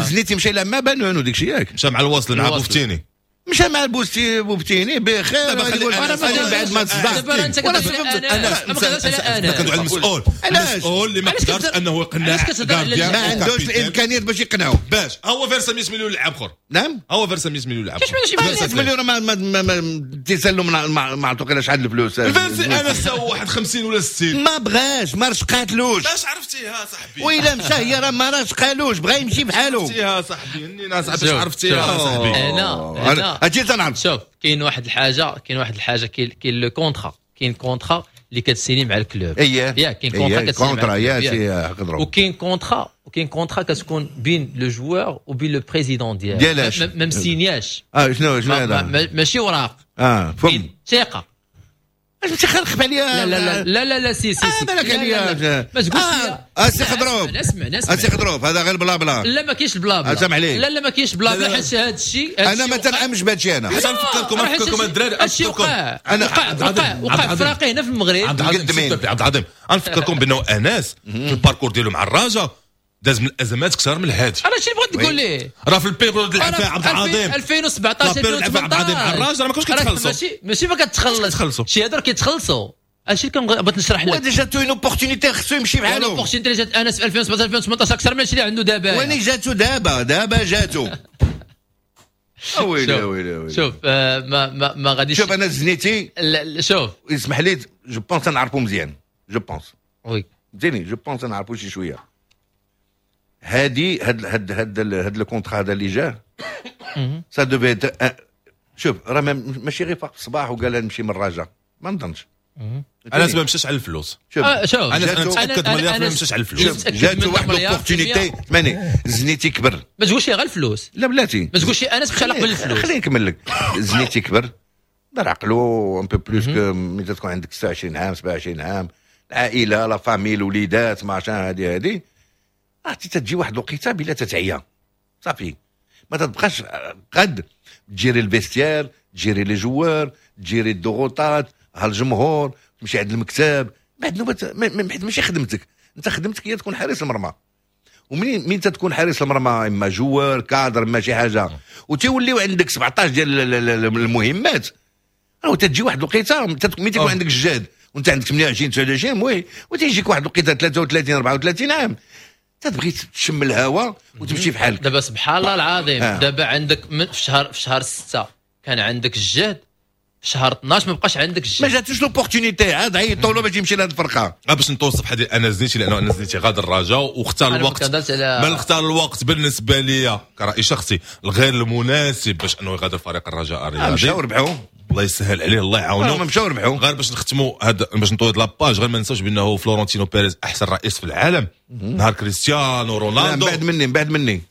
زنيتي مشى يلعب مع بانون وداك الشيء ياك، مشى مع الوصل مع بوفتيني، مشى مع البوستي بوفتيني بخير. بعد ما تصدع انا انا كندوي على المسؤول، المسؤول اللي ما قدرش انه يقنع، ما عندوش الامكانيات باش يقنعو. باش هو verser مية مليون لعاب اخر. نعم هو verser مية مليون لعاب. مية مليون ما ما تيسالو ما عطوك شحال الفلوس. verser انا ساو واحد خمسين ولا ستين. ما بغاش، ما رشقاتلوش. باش عرفتيها صاحبي؟ وإلا مشى هي راه ما رشقالوش، بغا يمشي بحالو. عرفتيها صاحبي، هنينا صاحبي، عرفتيها صاحبي. انا انا هادشي تنعرف. شوف كاين واحد الحاجة، كاين واحد الحاجة، كاين كاين le contrat، كاين contrat اللي كتسيني مع ال club. اييه ياك كاين contrat كتسيني contrat يا سي وكاين contrat، وكاين contrat كتكون بين le joueur وبين le président ديالو. ديالاش ما مسينياش. اه شنو شنو هذا؟ ماشي وراق. اه فهم ثقة. اش تخرخ عليا؟ لا لا لا لا لا si si si بالك عليا. ما تقولش لي اسي خضروف. اسمع اسمع اسي خضروف، هذا غير بلا بلا. لا ما كاينش بلا بلا. سامح لي. لا لا ما كاينش بلا بلا، حيت هذا الشيء انا ما تنعمش بهذا الشيء. انا حتى نفكركم نفكركم الدراري، هادشي وقع انا وقع وقع فراقي هنا في المغرب. عبد العظيم عبد العظيم نفكركم بانه انس في ال parcours ديالو مع الرجاء داز من الازمات اكثر من الهادي. انا شي بغيت نقول ليه راه في ال période لعب فيها عبد العظيم ألفين وسبعطاش ألفين وثمنطاش مع الرجاء راه ما كانوش كيتخلصوا. ماشي ماشي ما كتخلص شي هادو كيتخلصوا. هادشي اللي بغيت نشرح لك. و déjà جاتو une opportunité خصو يمشي بحالو. opportunité جات انس في ألفين وسبعطاش ألفين وثمنطاش اكثر من هادشي اللي عنده دابا. وين جاتو دابا؟ دابا جاتو. ويلي ويلي ويلي. شوف ما ما ما غاديش. شوف انا زنيتي شوف اسمح لي je pense نعرفو مزيان، je pense oui فهمتيني، je pense نعرفو شي شوية. هادي هاد هاد هاد هاد ال contrat هذا اللي جا ça devait. شوف راه ماشي غير فاق في الصباح وقال نمشي من الرجاء، ما نظنش. انس ما مشاش على الفلوس. شوف آه شوف انا متاكد مليار ما مشاش على الفلوس. جاتو واحد l'opportunité ماني زنيتي كبر. ما تقولش غير الفلوس. لا بلاتي ما تقولش انس مشى على قبل الفلوس. خليني نكمل لك. زنيتي كبر دار عقلو un peu plus que ملي تكون عندك ستة وعشرين عام سبعة وعشرين عام، العائلة la famille الوليدات ما عشان هذه هذه عرفتي تجي واحد الوقيته بلا تتعيا صافي ما تبقاش قد تجيري ال vestiaire، تجيري les joueurs، تجيري الضغوطات، ها الجمهور، تمشي عند المكتب بعد نوبه ماشي خدمتك انت، خدمتك هي تكون حارس المرمى. ومنين من تكون حارس المرمى اما joueur cadre اما شي حاجة وتوليو عندك سبعطاش ديال المهمات، راه تجي واحد الوقيته ملي تيكون عندك الجهد وانت عندك ثمانية وعشرين تسعة وعشرين oui، وتيجيك واحد الوقيته ثلاثة وثلاثين أربعة وثلاثين عام تبغي تشم الهواء وتمشي في حالك. دابا سبحان الله العظيم آه. دابا عندك من في شهر في شهر ستة كان عندك الجهد، في شهر اثناش ما بقاش عندك الجهد. ما جاتوش l'opportunité عاد عيطوا له باش يمشي لهاد الفرقة. باش نتوصف حديث انا زنيتي لانه انا زنيتي غادر الرجاء واختار الوقت. من اختار الوقت بالنسبة لي كراي شخصي الغير المناسب باش انه يغادر فريق الرجاء الرياضي. مشاو ربحوا الله يسهل عليه الله يعاونه. مشاو ربحوا. غير باش نختموا هاد باش نطوي la page، غير ما ننساوش بانه فلورنتينو بيريز احسن رئيس في العالم. نهار كريستيانو رونالدو من بعد مني من بعد مني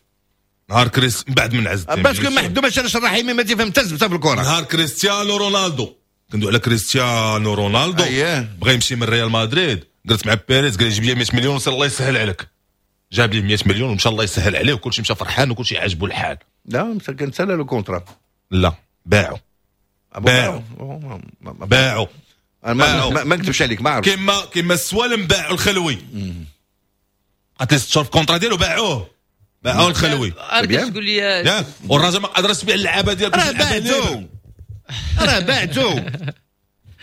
نهار كريس من بعد من عز الدين parce que ما حدو باش انا الرحيمي ما تفهم حتى في الكره. نهار كريستيانو رونالدو كندوي على كريستيانو رونالدو بغى يمشي من ريال مدريد، درت مع بيريز قال لي جيب لي مية مليون وسير الله يسهل عليك. جاب لي مية مليون ومشى الله يسهل عليه وكلشي مشى فرحان وكلشي عاجبو الحال. لا كان سالا le contrat. لا باعوا باعوا باعوا ما ما نكذبش عليك ما عرفت. كيما كيما السوالم باعوا الخلوي قالت لي ست شهور في ال contrat ديالو باعوه باعوه الخلوي. انا تقول لي والراجل ما قدرش يبيع اللعابه ديالو. راه باعتو راه باعتو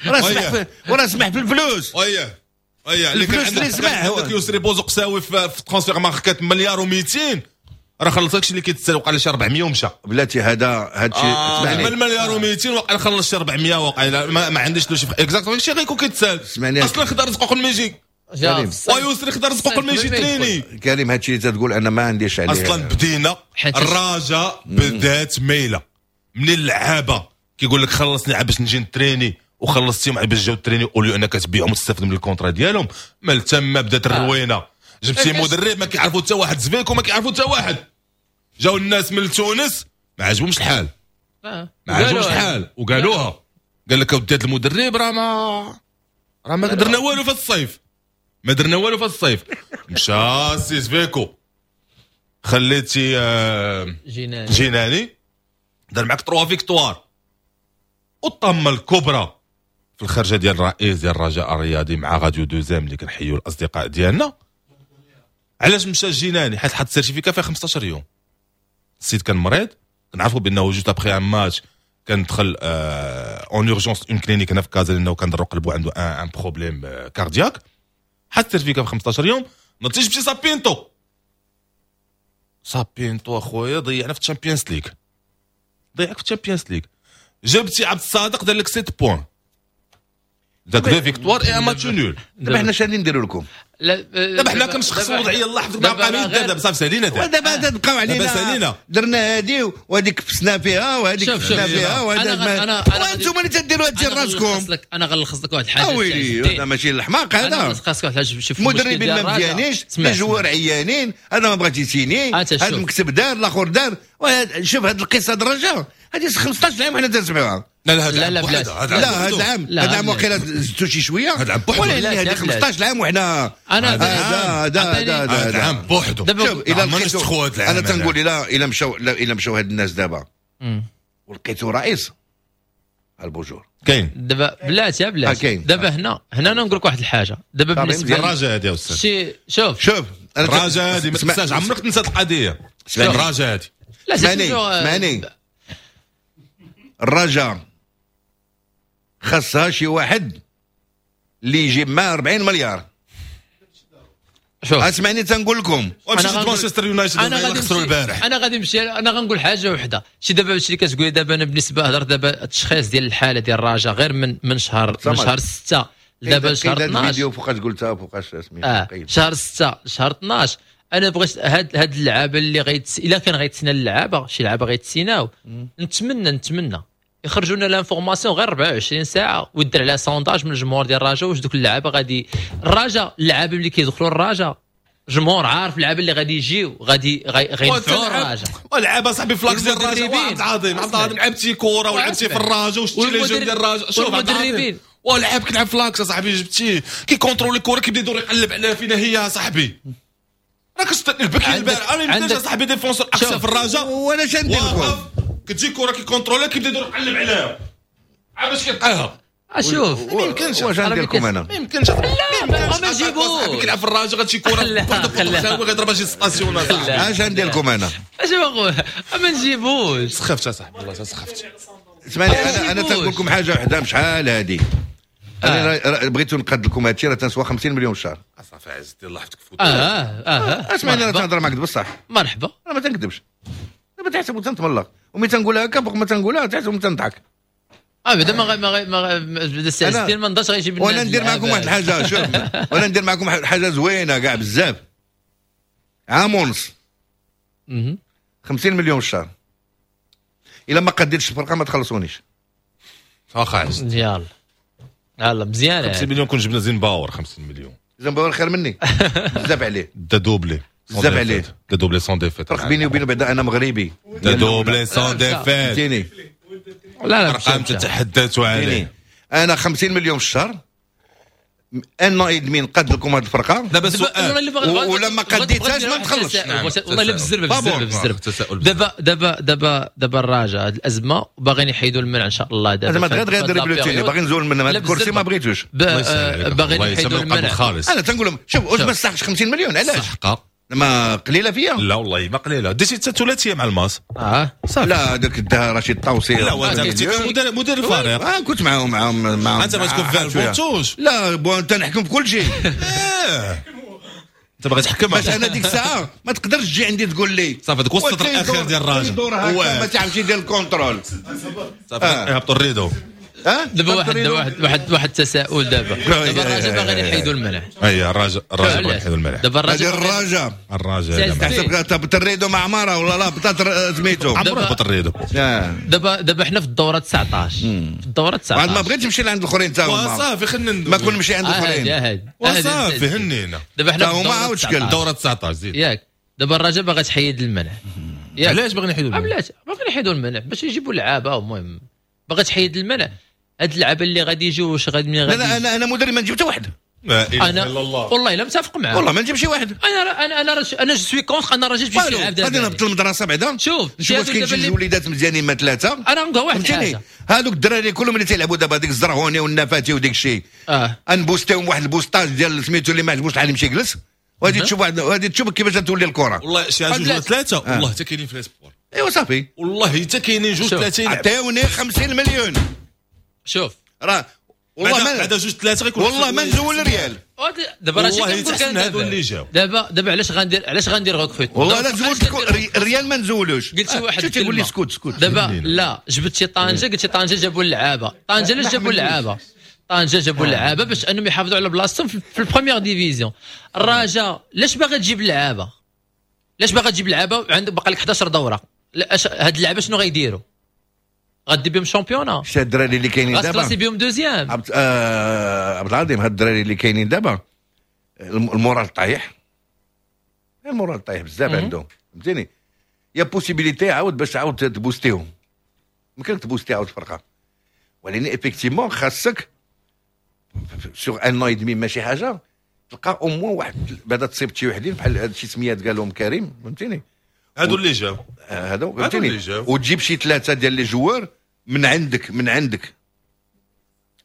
راه سمح وراه سمح في الفلوس. اييه اييه اللي كان عندك عندك يسري بوزقساوي في Transfermarkt مليار ومئتين راه خلص داكشي اللي كيتسال وقع شي أربعمية ومشى. بلاتي هذا هادشي آه من مليار ومئتين وقع خلص شي أربعمية وقع ما, ما عنديش له شي exactement شي غيكون كيتسال. اصلا خدا رزقو قبل ما يجي ويسري خدا رزقو قبل ما يجي تريني. كريم هادشي اللي تقول انا ما عنديش عليه اصلا. بدينا الرجاء بدات ميله من اللعابه كيقول لك خلصني باش نجي نتريني وخلصتيهم باش جاو تريني اوليو انك تبيعهم وتستافد من ال contrat ديالهم. مال تما بدات الروينه. جبتي مدرب ما كيعرفوا حتى واحد، زفيكو ما كيعرفوا حتى واحد. جاو الناس من تونس ما عجبهمش الحال ما عجبهمش الحال وقالوها. قال لك اودي هذا المدرب راه ما راه ما درنا والو في الصيف، ما درنا والو في الصيف. مشى سي زفيكو خليتي آه جيناني. جيناني دار معاك trois victoires. والطامه الكبرى في الخرجه ديال الرئيس ديال الرجاء الرياضي مع راديو دوزام اللي كنحيوا الاصدقاء ديالنا. علاش مشى جيناني؟ حيت حط certificat فيها خمسطاش يوم. السيد كان مريض، كنعرفوا بانه juste après un match كان دخل en urgence une clinique هنا في كازا لانه كان ضرو قلبو عنده un problème cardiaque. حط certificat في خمسطاش يوم. نتيجة مشي سابينتو سابينتو اخويا ضيعنا في الشامبيونز ليغ، ضيعك في الشامبيونز ليغ. جبتي عبد الصادق دار لك ستة points، داك deux victoires et un match nul. دابا حنا شنو نديروا لكم؟ دابا حنا كنشخصوا الوضعية الله يحفظك مع قميص دابا صافي سالينا. دابا تبقاو علينا دابا سالينا، درنا هادي وهذيك فسنا فيها وهذيك فسنا فيها وهذا وانتم اللي تديروا هادشي راسكم. انا غنلخص لك واحد الحاجة. ويلي هذا ماشي الحماق هذا. انا غنلخص لك واحد الحاجة. شوف المدربين ما مزيانينش، les joueurs عيانين، هذا ما بغاش يسيني، هذا المكتب دار، الاخر دار. شوف هاد القصة الرجاء هذه خمسطاش عام وحنا تنسمعوها. لا لا لا لا لا هذا العام هذا العام وقيلا زدتو شي شوية. هذا العام بوحدو. ولا هذه خمسطاش عام وحنا انا هذا هذا هذا العام بوحدو. شوف الى لقيتو انا تنقول الى الى مشاو الى مشاو هاد الناس دابا ولقيتو رئيس البوجور كاين دابا بلاتي بلاتي دابا هنا هنا انا نقول لك واحد الحاجة دابا بالنسبة للرجاء هذه يا استاذ. شي شوف شوف الرجاء هذه ما تنساش، عمرك تنسى القضية. الرجاء هذه لا اسمعني اسمعني الرجاء خاصها شي واحد اللي يجيب معاه أربعين مليار. شوف اسمعني تنقول لكم انا مانشستر يونايتد انا غادي خسروا البارح. انا غادي نمشي انا غنقول حاجة وحده. شي دابا هادشي اللي كتقولي دابا انا بالنسبة هضر دابا التشخيص ديال الحالة ديال الرجاء غير من من شهر من شهر ستة دابا شهر اثناش. الفيديو فوقاش قلتها فوقاش سميتو آه. شهر ستة شهر اثناش انا بغيت هاد هاد اللعابه اللي غيتس الا كان غيتسنى اللعابه، شي لعابه غيتسيناو، نتمنى نتمنى يخرجوا لنا l'information غير أربعة وعشرين ساعة ويدير عليها sondage من الجمهور ديال الرجاء، واش دوك اللعابه غادي الرجاء، اللعابه اللي كيدخلوا الرجاء، الجمهور عارف اللعابه اللي غادي يجيو غادي غينفعوا الرجاء. ولعابه صاحبي ف l'axe ديال الرجاء، عبد العظيم، عبد العظيم، لعبتي كره ولعبتي في الرجاء وشتي les jeunes ديال الرجاء. شوف المدربين. ولعب كيلعب في l'axe صاحبي، جبتيه كي contrôler الكره، كيبدا يدور يقلب عليها فينا هي صاحبي. راك البكي البارح، انا ما صاحبي défenseur axial في الرجاء. وانا شندير لكم؟ كتجي كره كي contrôler، كيبدا يدور يقلب عليها عاد باش كيلقاها. اشوف. ما يمكنش. واش ندير لكم انا؟ ما يمكنش. لا، ما نجيبوش. كيلعب في الرجاء، غتجي كره غيضربها شي station. اش ندير لكم انا؟ اش اخويا، ما نجيبوش. سخفت اصاحبي، والله سخفت. اسمعني، انا انا تنقول لكم حاجة وحده، شحال هادي انا آه. بغيتو نقاد لكم هادشي، راه تنسوى خمسين مليون في الشهر. صافي عز الله يحفظك. اه اه. اسمعني، انا تنهضر معاك بصح. مرحبا. انا ما تنكذبش، دابا تحسب تنتملق، وملي تنقولها هكا فوق ما تنقولها تحسب تنضحك. اه بعدا ما ما ما السي ما نضاش غيجيب. وانا ندير معكم واحد الحاجه، شوف، وانا ندير معكم حاجة زوينة كاع بزاف، عام ونص، خمسين مليون في الشهر، الا ما قديتش الفرقة ما تخلصونيش. واخا عز. يلا يلا، مزيان. خمسين مليون كون جبنا زين باور خمسين مليون. زين باور خير مني بزاف عليه. دا doublé. بزاف عليه. دا doublé sans défaite. فرق بيني وبينه بعدا انا مغربي. دا doublé sans défaite. فهمتيني؟ لا لا. ارقام تتحدث عليه. انا خمسين مليون في الشهر، un an et demi نقاد لكم هذه الفرقه. دابا سؤال. ولا ما قديتهاش ما نتخلصش. نعم. والله الا بالزربه بالزربه بالزربه. دابا دابا دابا دابا الرجاء هذه الازمة باغيين يحيدوا المنع ان شاء الله. دابا ما غير غير ريبلوتيني، باغي نزول من هذا الكرسي، ما بغيتوش. باغيين يحيدوا المنع. انا تنقول لهم شوف، واش ما استحقش خمسين مليون؟ علاش؟ صحقه. ما قليله فيا؟ لا والله ما قليله، ديتي حتى ثلاثية مع الماس. اه. صافي. لا، هذاك دا رشيد طوسي. لا، وانت كنت مدير مدير الفريق. اه، كنت معاهم معاهم معاهم. انت بغيت تكون في البونتوش. لا، bon، انت نحكم في كل شيء. إيه. انت باغي تحكم. باش انا ديك الساعة ما تقدرش تجي عندي تقول لي صافي، ديك وسط الاخير ديال الراجل. ما تعرفش يدير ال contrôle. صافي، يهبطوا ال rideau. ها. دابا واحد واحد واحد واحد التساؤل، دابا دابا الرجاء باغيين يحيدوا المنع. اي، الرجاء الرجاء باغي يحيدوا المنع. دابا الرجاء الرجاء. الرجاء الرجاء. تحسب تهبط ال rideau مع عمارة ولا لا هبطات سميتو. عمره هبط ال rideau. دابا دابا حنا في الدورة تسعطاش، في الدورة تسعطاش. ما بغيتش نمشي لعند الاخرين تا هما. صافي، خلينا ما كون نمشي عند الاخرين. وصافي، هنينا. دابا حنا في الدورة تسعطاش. الدورة تسعطاش، زيد. ياك دابا الرجاء باغا تحيد المنع. علاش باغيين يحيدوا المنع؟ علاش باغيين يحيدوا المنع؟ باش يجيبوا لعابه. المهم باغا تحيد المنع، هاد اللعابه اللي غادي يجيو واش غادي غادي؟ لا، انا انا مدرب ما نجيب حتى واحد. لا اله انا الا الله. والله الا متفق معاه. والله ما نجيب شي واحد. انا انا انا انا je suis contre، انا راجل تجيب شي لعاب. غادي نهبط للمدرسة بعدا. شوف. نشوف واش كاين شي وليدات مزيانين ما ثلاثه. انا نقول واحد الحاجه. هذوك الدراري كلهم اللي تيلعبوا دابا، ديك الزرهوني والنفاتي وديك الشيء، اه نبوستيهم واحد ال boostage ديال سميتو، اللي ما عجبوش الحال يمشي يجلس، وغادي تشوف واحد، وغادي تشوف كيفاش تولي الكره. والله شي جوج ولا ثلاثه، والله حتى كاينين في les espoirs. ايوا صافي. والله حتى كاينين جوج ثلاثه. عطيوني خمسين مليون. شوف. راه والله ما بعد جوج ثلاثة غيكون. والله ما نزول ريال. دابا راه والله تحسن هادو اللي جاو. دابا دابا علاش غندير علاش غندير recrute؟ والله لا زولت ريال، ما نزولوش. قلت شي واحد. تيقول لي سكوت سكوت. دابا لا جبت شي طنجه، قلت شي طنجه جابوا اللعابه. طنجه علاش جابوا اللعابه؟ طنجه جابوا اللعابه باش انهم يحافظوا على بلاصتهم في ال première division. الرجاء علاش باغا تجيب اللعابه؟ علاش باغا تجيب اللعابه؟ عندك باقي لك حداش دوره. هاد اللعابه شنو غيديروا؟ غادي بهم championnat؟ شتي الدراري اللي كاينين دابا؟ غتكلاسي بهم deuxième؟ عبد آه عبد العظيم، هاد الدراري اللي كاينين دابا ال moral طايح، ال moral طايح بزاف عندهم، فهمتيني؟ y a possibilité عاود باش تعاود تبوستيهم، يمكن تبوستي عاود الفرقه، ولكن effectivement خاصك sur un an et demi ماشي حاجة تلقى au moins واحد بعدا تصيب شي وحدين بحال هاد شي سميات قالهم كريم، فهمتيني؟ هادو اللي جاو. هادو، فهمتيني؟ وتجيب شي ثلاثة ديال les joueurs من عندك من عندك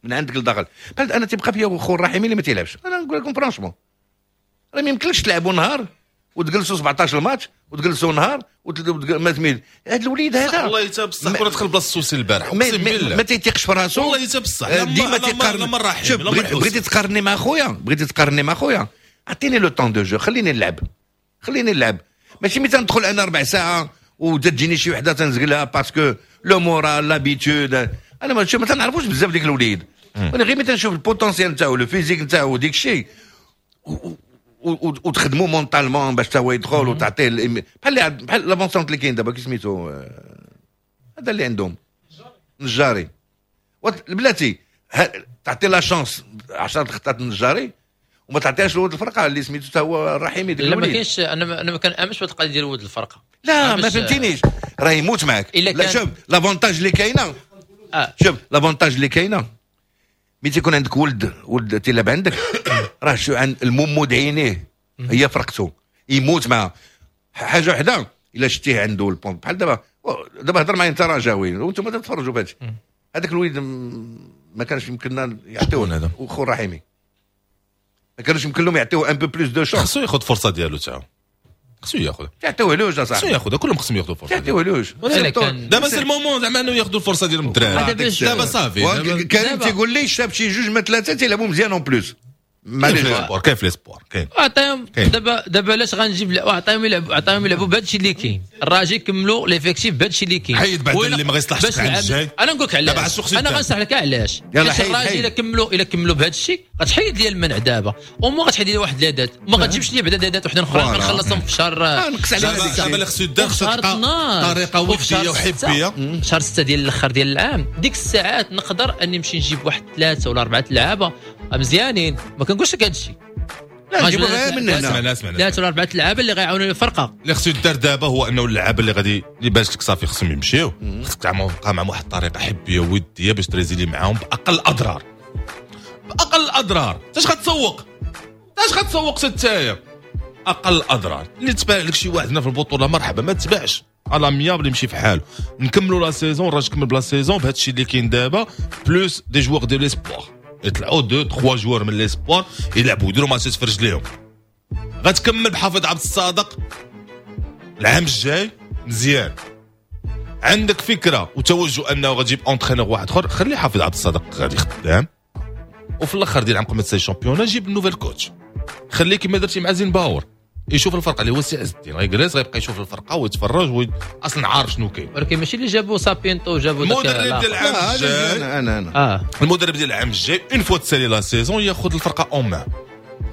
من عندك لداخل. بحال انا تيبقى فيا خو الرحيمي اللي ما تيلعبش. انا نقول لكم franchement، راه ما يمكنلكش تلعبوا نهار وتجلسوا سبعطاش الماتش وتجلسوا نهار ما تميل هذا الوليد هذا. والله حتى بصح كره دخل بلاصة السوسي البارح. ما, ما, ما تيتيقش في راسو. والله حتى بصح. ديما تيقارن. شوف، بغيتي تقارني مع خويا، بغيتي تقارني مع خويا، عطيني le temps de jeu، خليني نلعب، خليني نلعب. ماشي ملي تندخل انا ربع ساعة وتجيني شي وحده تنزقلها parce que le moral، l'habitude. انا ما ما تنعرفوش بزاف ديك الوليد، انا غير ملي تنشوف ال potentiel نتاعو، le physique نتاعو، ديك الشيء. وتخدموا mentalement باش تا هو يدخل وتعطيه بحال اللي بحال l'avant-centre اللي كاين دابا كي سميتو هذا اللي عندهم نجاري بلاتي تعطي la chance عشرة خطات النجاري وما تعطيهاش لولد الفرقة اللي سميتو حتى هو الرحيمي. لا ما كاينش، انا انا ما كنامنش بهذه القضية ديال ولد الفرقة. لا ما فهمتينيش، راه يموت معاك. لا شوف l'avantage اللي كاينه آه. شوف l'avantage اللي كاينه ملي تيكون عندك ولد ولد تيلعب عندك راه شو عند الممود عينيه هي فرقته يموت معها. حاجة وحده الا شتيه عنده ال bon بحال دابا دابا هضر معايا انت رجاوي وانتم تتفرجوا في هادشي، هذاك الوليد ما كانش يمكننا يعطيوه وخو الرحيمي ما كانوش يمكن لهم يعطيوه un peu plus de chance. خصو ياخذ فرصة ديالو تاعو، خصو ياخذ يعطيوه لوج اصاحبي، خصو ياخذ كلهم خصهم ياخذوا فرصة، يعطيوه لوج. دابا c'est le moment زعما انه ياخذوا الفرصة ديالهم الدراري دابا صافي. كريم تيقول لي شاف شي جوج ما ثلاثة تيلعبوا مزيان en plus. معليش كاين في l'espoir كاين. عطيهم دابا دابا علاش غنجيب عطيهم يلعبوا عطيهم يلعبوا بهذا الشيء اللي كاين. الراجل كملوا l'effectif بهذا الشيء اللي كاين. حيد بعد اللي ما غيصلحش العام الجاي. انا نقول لك علاش، انا غنشرح لك علاش. الراجل الا كملوا الا كملوا بهذا الشيء غتحيد لي المنع دابا، وما غتحيد لي واحد la dette، وما غتجيبش لي بعدا la dette وحده اخرى غنخلصهم في شهر. نقص على دابا اللي خصو يدار خصو تلقى طريقه وديه وحبيه. شهر ستة ديال الاخر ديال العام ديك الساعات نقدر اني نمشي نجيب واحد ثلاثة ولا اربعة لعابه مزيانين، ما كنقولش لك هذا الشيء. لا نجيبو غير من هنا ثلاثة ولا اربعة لعابه اللي غيعاونوا الفرقة. اللي خصو يدار دابا هو انه اللعابه اللي غادي اللي باش لك صافي خصهم يمشيو، خصك تبقى معهم واحد الطريقة حبيه وديه باش ت résilier معاهم باقل اضرار، باقل اضرار. اش غتسوق اش غتسوق حتى اقل اضرار. اللي تباع لك شي واحد هنا في البطولة مرحبا، ما تباعش à l'amiable يمشي في حاله. نكملوا la saison، الراجل كمل ب la saison بهذا الشيء اللي كاين دابا plus des joueurs ديال l'espoir يطلعوا deux trois joueurs من l'espoir يلعبوا يديروا ماتشات في رجليهم. غتكمل بحافظ عبد الصادق العام الجاي مزيان. عندك فكرة وتوجه انه غتجيب entraîneur واحد اخر، خلي حافظ عبد الصادق غادي خدام، وفي الاخر ديال العام قبل ما تسالي ال championnat جيب nouvel coach. خليه كما درتي مع زين باور يشوف الفرقة اللي هو السي عز الدين، غيجلس غيبقى يشوف الفرقة ويتفرج وي... اصلا عارف شنو كاين. ولكن ماشي اللي جابوا سابينتو جابوا داك المدرب ديال العام الجاي. انا انا انا آه. المدرب ديال العام الجاي une fois تسالي la saison ياخذ الفرقة en main،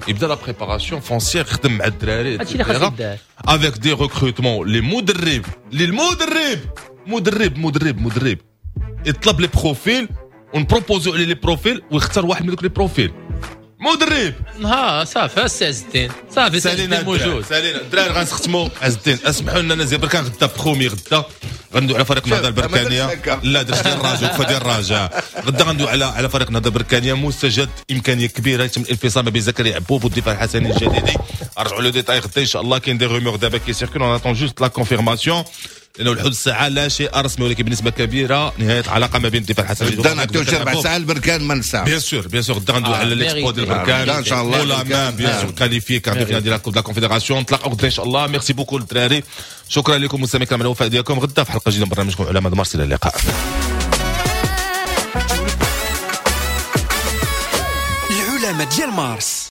يبدا la préparation foncière، يخدم مع الدراري هادشي اللي خاص يدار avec des recrutements. les مدرب لي المدرب مدرب مدرب مدرب يطلب les profils ون proposer عليه les profils ويختار واحد من دوك les profils. مدرب ها صافي السي عز الدين صافي سالينا موجود سالينا الدراري. غنختموا عز الدين اسمحوا لنا نزيد بركان غدا بخومي غدا غندوي على فريق النهضة البركانيه. لا درت ديال الرجاء وقفه ديال الرجاء. غدا غندوي على على فريق النهضة البركانيه مستجد امكانية كبيرة يتم الانفصال ما بين زكريا عبوب والدفاع الحسني الجديدي. رجعوا les détails غدا ان شاء الله. كاين des rumeurs دابا qui circulent، on attend juste la confirmation لانه لحد الساعة لا شيء رسمي، ولكن بنسبة كبيرة نهاية العلاقة ما بين الدفاع الحسني غدا نعطيو شي ربع ساعة البركان ما نساع. bien sûr bien sûr غدا غندوي على l'exploit ديال البركان ان شاء الله ولا ما bien sûr qualifié quart de finale ديال la coupe la confédération. نتلاقاو غدا ان شاء الله. merci beaucoup للدراري، شكرا لكم مستمعينا الكرام على الوفاء ديالكم. غدا في حلقة جديدة من برنامجكم علماء مارس. الى اللقاء. العلماء ديال مارس.